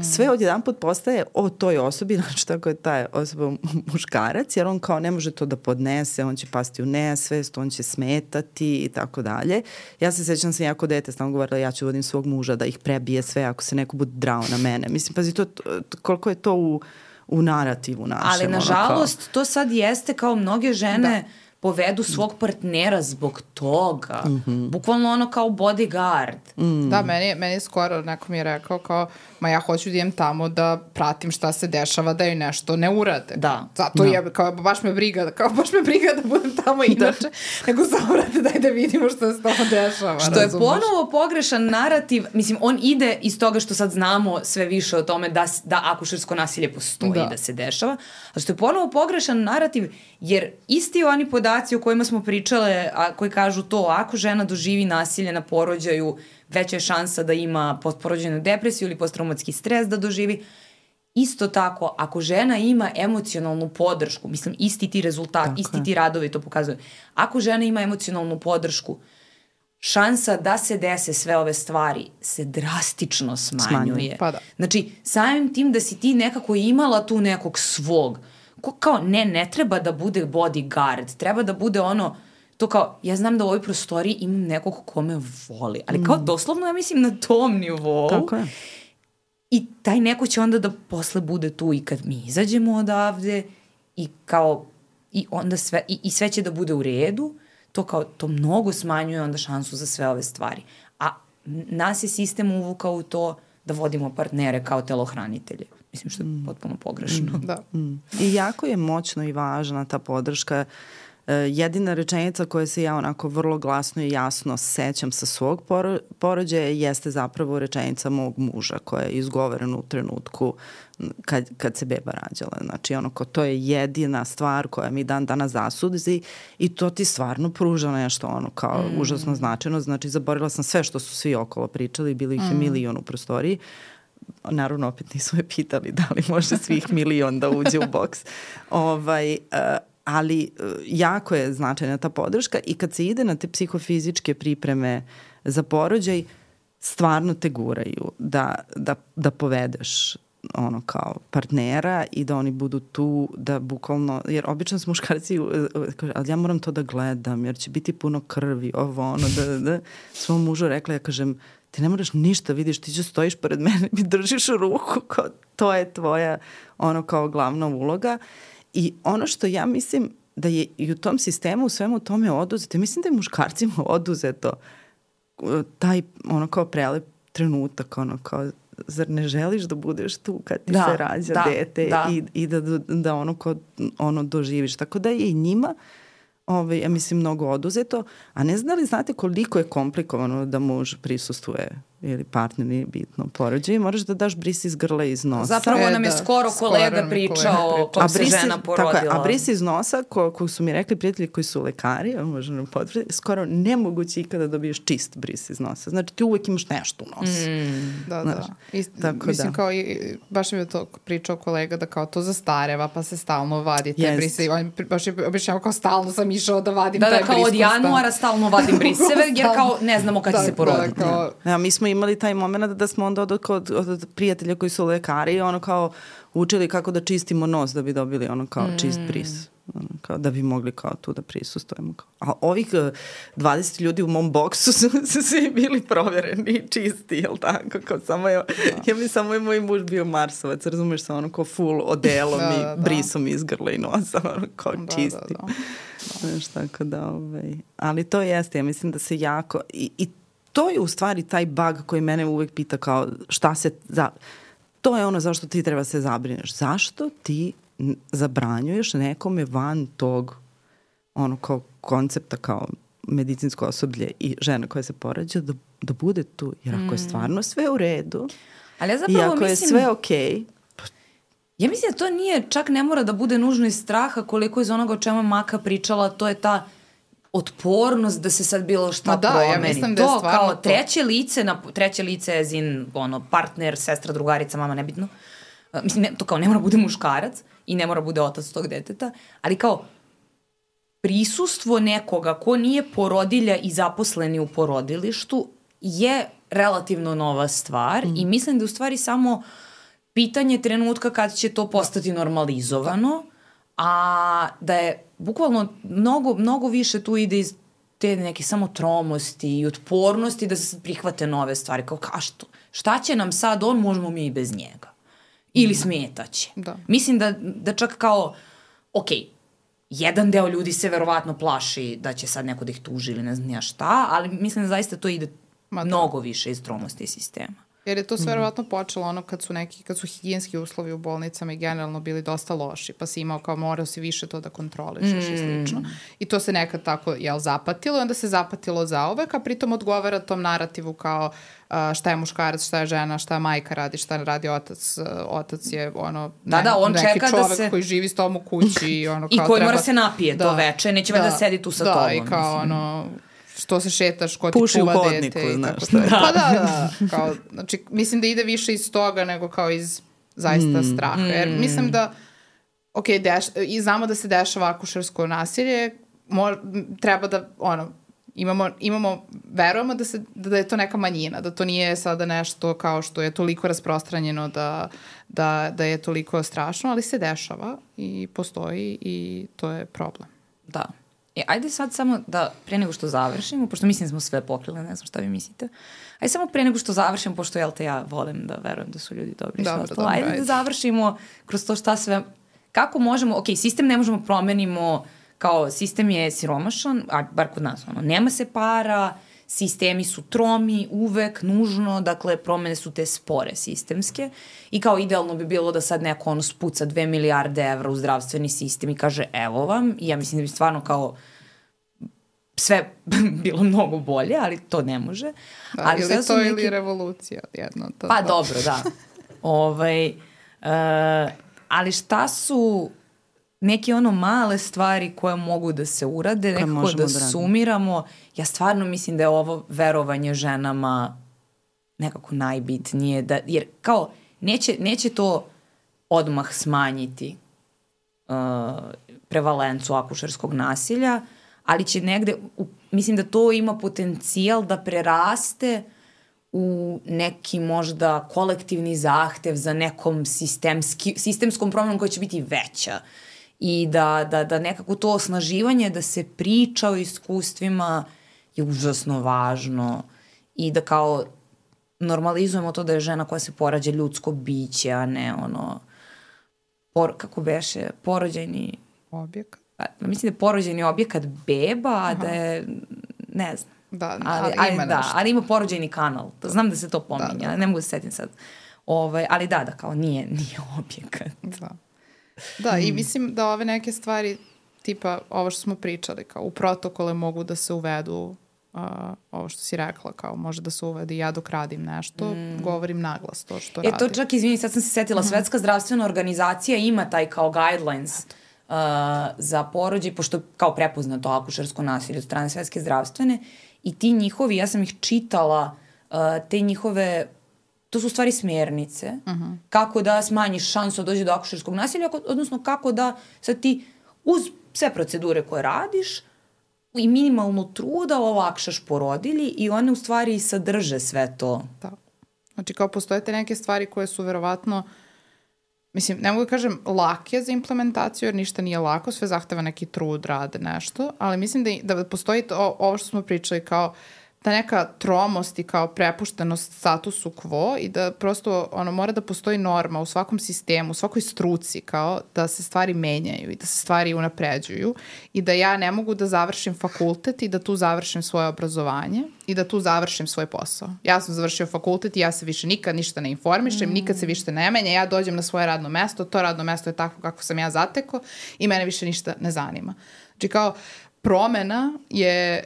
sve odjedan put postaje o toj osobi, znači tako je taj osoba muškarac, jer on kao ne može to da podnese, on će pasti u nesvest, on će smetati i tako dalje. Ja se sećam sam jako dete, stalno govorila ja ću vodim svog muža da ih prebije sve ako se neko bude drao na mene. Mislim, pazi, koliko je to u narativu našem. Ali nažalost to sad jeste kao mnoge žene povedu svog partnera zbog toga. Bukvalno ono kao bodyguard. Da, meni je skoro neko mi je rekao kao, ma ja hoću da idem tamo da pratim šta se dešava, da joj nešto ne urade. Da. Zato je, kao, baš me briga da budem tamo inače, nego samo vrate daj da vidimo šta se tamo dešava. Što je ponovo pogrešan narativ, mislim, on ide iz toga što sad znamo sve više o tome da akušersko nasilje postoji, da se dešava, a što je ponovo pogrešan narativ, jer isti oni podaci o kojima smo pričale, a koji kažu to, ako žena doživi nasilje na porođaju, veća je šansa da ima postporođajnu depresiju ili posttraumatski stres da doživi. Isto tako, ako žena ima emocionalnu podršku, mislim, isti ti rezultati, isti ti radovi to pokazuju. Ako žena ima emocionalnu podršku, šansa da se dese sve ove stvari se drastično smanjuje. Pa da. Znači, samim tim da si ti nekako imala tu nekog svog, kao ne treba da bude bodyguard, treba da bude ono, to kao, ja znam da u ovoj prostoriji imam nekog ko me voli, ali kao doslovno ja mislim na tom nivou. Tako je. I taj neko će onda da posle bude tu i kad mi izađemo odavde i kao, i onda sve, i sve će da bude u redu, to kao, to mnogo smanjuje onda šansu za sve ove stvari. A nas je sistem uvukao u to da vodimo partnere kao telohranitelje. Mislim što je potpuno pogrešno. Da. I jako je moćno i važna ta podrška. Jedina rečenica koja se ja onako vrlo glasno i jasno sećam sa svog porođaja jeste zapravo rečenica mog muža koja je izgovorena u trenutku kad se beba rađala. Znači ono ko to je jedina stvar koja mi dan danas zasudizi i to ti stvarno pruža nešto ono kao užasno značajno. Znači zaboravila sam sve što su svi okolo pričali, bilo ih je milion u prostoriji. Naravno, opet nisu me pitali da li može svih milion da uđe u boks. Ali jako je značajna ta podrška i kad se ide na te psihofizičke pripreme za porođaj, stvarno te guraju da povedeš ono kao partnera i da oni budu tu da bukvalno, jer obično su muškarci ali ja moram to da gledam jer će biti puno krvi, ovo ono da svom mužu rekla, ja kažem ti ne moraš ništa, vidiš, ti ću stojiš pored mene, mi držiš ruku, kao, to je tvoja ono kao glavna uloga. I ono što ja mislim da je i u tom sistemu u svemu tome oduzeto, mislim da je muškarcima oduzeto taj ono kao prelep trenutak, ono kao zar ne želiš da budeš tu kad ti se rađa dete i da ono kao ono doživiš. Tako da je i njima ja mislim mnogo oduzeto, a ne znam li znate koliko je komplikovano da muž prisustvuje ili partner, nije bitno, porođaju, moraš da daš bris iz grla i iz nosa. Zapravo nam je skoro kolega pričao kako se žena porodila. Tako je, a bris iz nosa, koji su mi rekli prijatelji koji su lekari, možda potvrditi, skoro nemoguće ikada dobiješ čist bris iz nosa. Znači ti uvek imaš nešto u nosu. Da. Mislim kao i baš mi je to pričao kolega da kao to zastareva pa se stalno vadi te brise. Baš je objašnjavao kao stalno sam išao da vadim taj bris. Da, kao od januara stalno vadim briseve jer kao ne znamo kad će se poroditi. Mi smo imali taj moment da smo onda od prijatelja koji su lekari i ono kao učili kako da čistimo nos da bi dobili ono kao čist bris. Kao da bi mogli kao tu da prisustujemo. A ovih 20 ljudi u mom boksu su svi bili provereni i čisti, jel tako? Kao samo ja mi samo je moj muž bio Marsovac, razumeš se ono kao full odelom i brisom iz grla i nosa, ono kao čisti. Znaš, tako da, ali to jeste, ja mislim da se jako i to je u stvari taj bug koji mene uvek pita kao šta se to je ono zašto ti treba se zabrineš. Zašto ti zabranjuješ nekome van tog ono kao koncepta kao medicinsko osoblje i žena koja se porađa da bude tu. Jer ako je stvarno sve u redu ali ja zapravo i ako je sve okej, ja mislim da to nije, čak ne mora da bude nužno iz straha koliko iz onoga o čemu Maka pričala, to je ta otpornost da se sad bilo šta promeni. Ja mislim da je to stvarno kao treće lice je zin, ono, partner, sestra, drugarica, mama, nebitno. Mislim, to kao ne mora bude muškarac i ne mora bude otac tog deteta, ali kao prisustvo nekoga ko nije porodilja i zaposleni u porodilištu je relativno nova stvar i mislim da u stvari samo pitanje trenutka kad će to postati normalizovano, a da je bukvalno mnogo više tu ide iz te neke samo tromosti i otpornosti da se prihvate nove stvari. Kao šta će nam sad on, možemo mi i bez njega. Ili smetaće. Da. Mislim da čak kao, jedan deo ljudi se verovatno plaši da će sad neko da ih tuži ili ne znam ja šta, ali mislim da zaista to ide mnogo više iz tromosti sistema. Jer je to sve verovatno počelo ono kad su higijenski uslovi u bolnicama i generalno bili dosta loši, pa si imao kao morao si više to da kontrolišeš i slično. I to se nekad tako, zapatilo i onda se zapatilo zauvek, a pritom odgovara tom narativu kao šta je muškarac, šta je žena, šta majka radi, šta radi otac. Otac je on neki čeka čovek koji živi s tom u kući i i koji mora se napije to veče, neće da sedi tu sa tobom. Da, i kao što se šetaš, ko ti čuva dete. Puši u hodniku, znaš. Pa da. Kao, znači, mislim da ide više iz toga nego kao iz zaista straha. Jer mislim da, i znamo da se dešava akušersko nasilje, treba da, verujemo da je to neka manjina, da to nije sada nešto kao što je toliko rasprostranjeno da je toliko strašno, ali se dešava i postoji i to je problem. Da. Ajde sad samo da, pre nego što završimo, pošto mislim da smo sve pokrili, ne znam šta vi mislite, ajde samo pre nego što završimo, pošto ja volim da verujem da su ljudi dobri. Ajde da završimo kroz to šta sve, kako možemo, sistem ne možemo promenimo, kao sistem je siromašan, a bar kod nas, nema se para, sistemi su tromi, uvek, nužno, dakle, promene su te spore sistemske i kao idealno bi bilo da sad neko spuca 2 milijarde evra u zdravstveni sistem i kaže evo vam, i ja mislim da bi stvarno kao sve bilo mnogo bolje, ali to ne može. Da, ali ili to ili revolucija jedno. Pa dobro, da. Ali šta su neke male stvari koje mogu da se urade, nekako da sumiramo. Ja stvarno mislim da je ovo verovanje ženama nekako najbitnije. Jer kao neće to odmah smanjiti prevalencu akušerskog nasilja, ali će negde, mislim da to ima potencijal da preraste u neki možda kolektivni zahtev za nekom sistemskom promjenom koja će biti veća. I da nekako to osnaživanje, da se priča o iskustvima je užasno važno i da kao normalizujemo to da je žena koja se porađa ljudsko biće, a ne kako beše, porođajni objekat. Mislim da je porođajni objekat beba, a da je, ne znam. Da, ali ima porođajni kanal. Znam da se to pominja, ne mogu se setim sad. Ali da, kao nije objekat. Da, i mislim da ove neke stvari, tipa ovo što smo pričali, kao u protokole mogu da se uvedu, ovo što si rekla, kao može da se uvedi ja dok radim nešto, govorim naglas to što radim. To čak, izvini, sad sam se setila, Svetska zdravstvena organizacija ima taj kao guidelines za porođaj, pošto kao prepoznato akušersko nasilje od strane Svetske zdravstvene i ti njihovi, ja sam ih čitala, te njihove, to su u stvari smjernice, kako da smanjiš šansu da dođe do akušerskog nasilja, odnosno kako da sad ti uz sve procedure koje radiš i minimalno truda olakšaš porodilji i one u stvari sadrže sve to. Da. Znači kao postoje te neke stvari koje su verovatno, mislim, ne mogu da kažem lake za implementaciju, jer ništa nije lako, sve zahteva neki trud, rade nešto, ali mislim da postoji ovo što smo pričali kao ta neka tromost i kao prepuštenost statusu quo i da prosto mora da postoji norma u svakom sistemu, u svakoj struci kao da se stvari menjaju i da se stvari unapređuju i da ja ne mogu da završim fakultet i da tu završim svoje obrazovanje i da tu završim svoj posao. Ja sam završio fakultet i ja se više nikad ništa ne informišem, nikad se više ne menja, ja dođem na svoje radno mesto, to radno mesto je tako kako sam ja zatekao i mene više ništa ne zanima. Znači kao promena je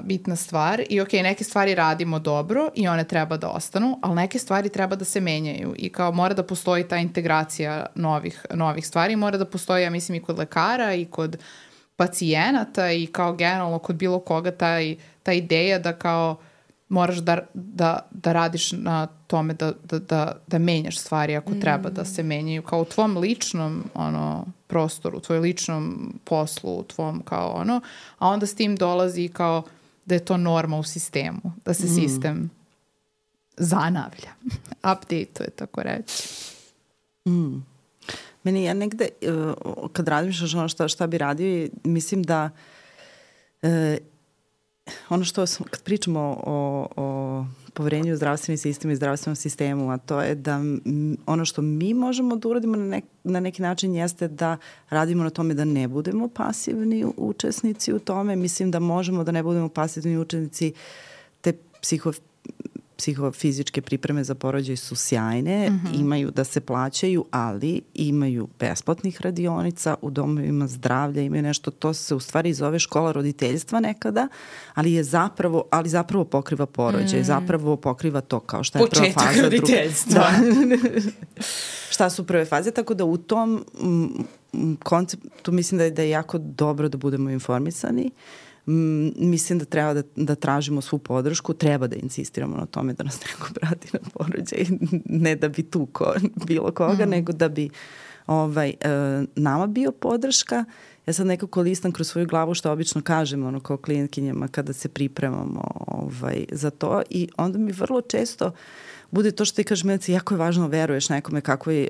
bitna stvar i neke stvari radimo dobro i one treba da ostanu, ali neke stvari treba da se menjaju i kao mora da postoji ta integracija novih stvari, mora da postoji, ja mislim, i kod lekara i kod pacijenata i kao generalno kod bilo koga ta ideja da kao moraš da radiš na tome da menjaš stvari ako treba da se menjaju kao u tvom ličnom prostoru, u tvojom ličnom poslu, u tvom kao a onda s tim dolazi kao da je to norma u sistemu, da se sistem zanavlja, update-uje, tako reći. Meni ja negde, kad razmišljaš ono šta bi radio, mislim da ono što kad pričamo o poverenju u zdravstveni sistem i zdravstvenom sistemu, a to je da ono što mi možemo da uradimo na neki način jeste da radimo na tome da ne budemo pasivni učesnici u tome. Mislim da možemo da ne budemo pasivni učesnici. Te psihofizičke pripreme za porođaj su sjajne, imaju da se plaćaju, ali imaju besplatnih radionica u domovima zdravlja, imaju nešto, to se u stvari zove škola roditeljstva nekada, ali zapravo pokriva porođaj, zapravo pokriva to kao šta je prva faza. Početak roditeljstva. Šta su prve faze, tako da u tom konceptu mislim da je jako dobro da budemo informisani. Mislim da treba da tražimo svu podršku, treba da insistiramo na tome da nas neko prati na porođaj, ne da bi tuko bilo koga, nego da bi nama bio podrška. Ja sad nekako listam kroz svoju glavu što obično kažem kao klijentkinjama kada se pripremamo za to i onda mi vrlo često bude to što ti kažeš, Milice, jako je važno veruješ nekome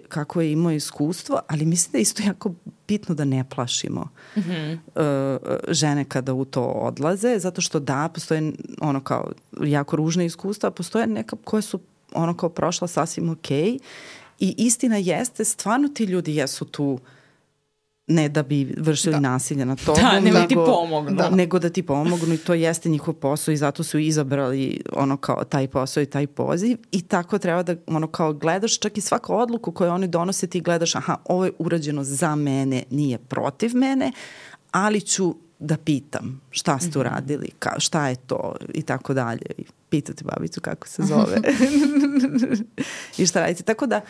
kako je imao iskustvo, ali mislim da je isto jako bitno da ne plašimo žene kada u to odlaze, zato što postoje kao jako ružne iskustva, postoje neka koje su kao prošla sasvim okej i istina jeste, stvarno ti ljudi jesu tu ne da bi vršili nasilje na tobom, nego da ti pomognu i to jeste njihov posao i zato su izabrali kao taj posao i taj poziv i tako treba da kao gledaš čak i svaku odluku koju oni donose ti gledaš, ovo je urađeno za mene, nije protiv mene, ali ću da pitam šta ste uradili, šta je to i tako dalje. I pitati babicu kako se zove i šta radite. Tako da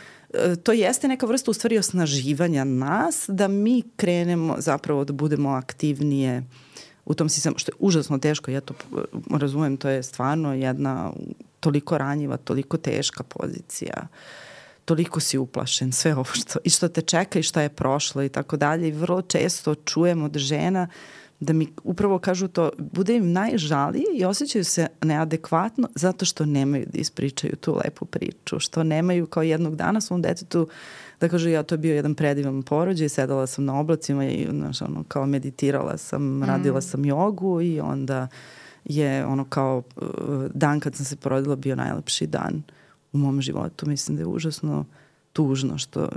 to jeste neka vrsta u stvari osnaživanja nas da mi krenemo zapravo da budemo aktivnije u tom sistemu, što je užasno teško. Ja to razumem, to je stvarno jedna toliko ranjiva, toliko teška pozicija. Toliko si uplašen, sve ovo što te čeka i šta je prošlo i tako dalje. I vrlo često čujemo od žena da mi upravo kažu to, bude im najžalije i osjećaju se neadekvatno zato što nemaju da ispričaju tu lepu priču, što nemaju kao jednog dana svom detetu da kažu to je bio jedan predivan porođaj, sedala sam na oblacima i kao meditirala sam, radila sam jogu i onda je kao dan kad sam se porodila bio najlepši dan u mom životu. Mislim da je užasno tužno što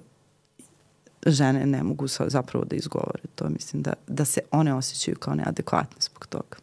žene ne mogu zapravo da izgovore to. Mislim da se one osjećaju kao neadekvatne zbog toga.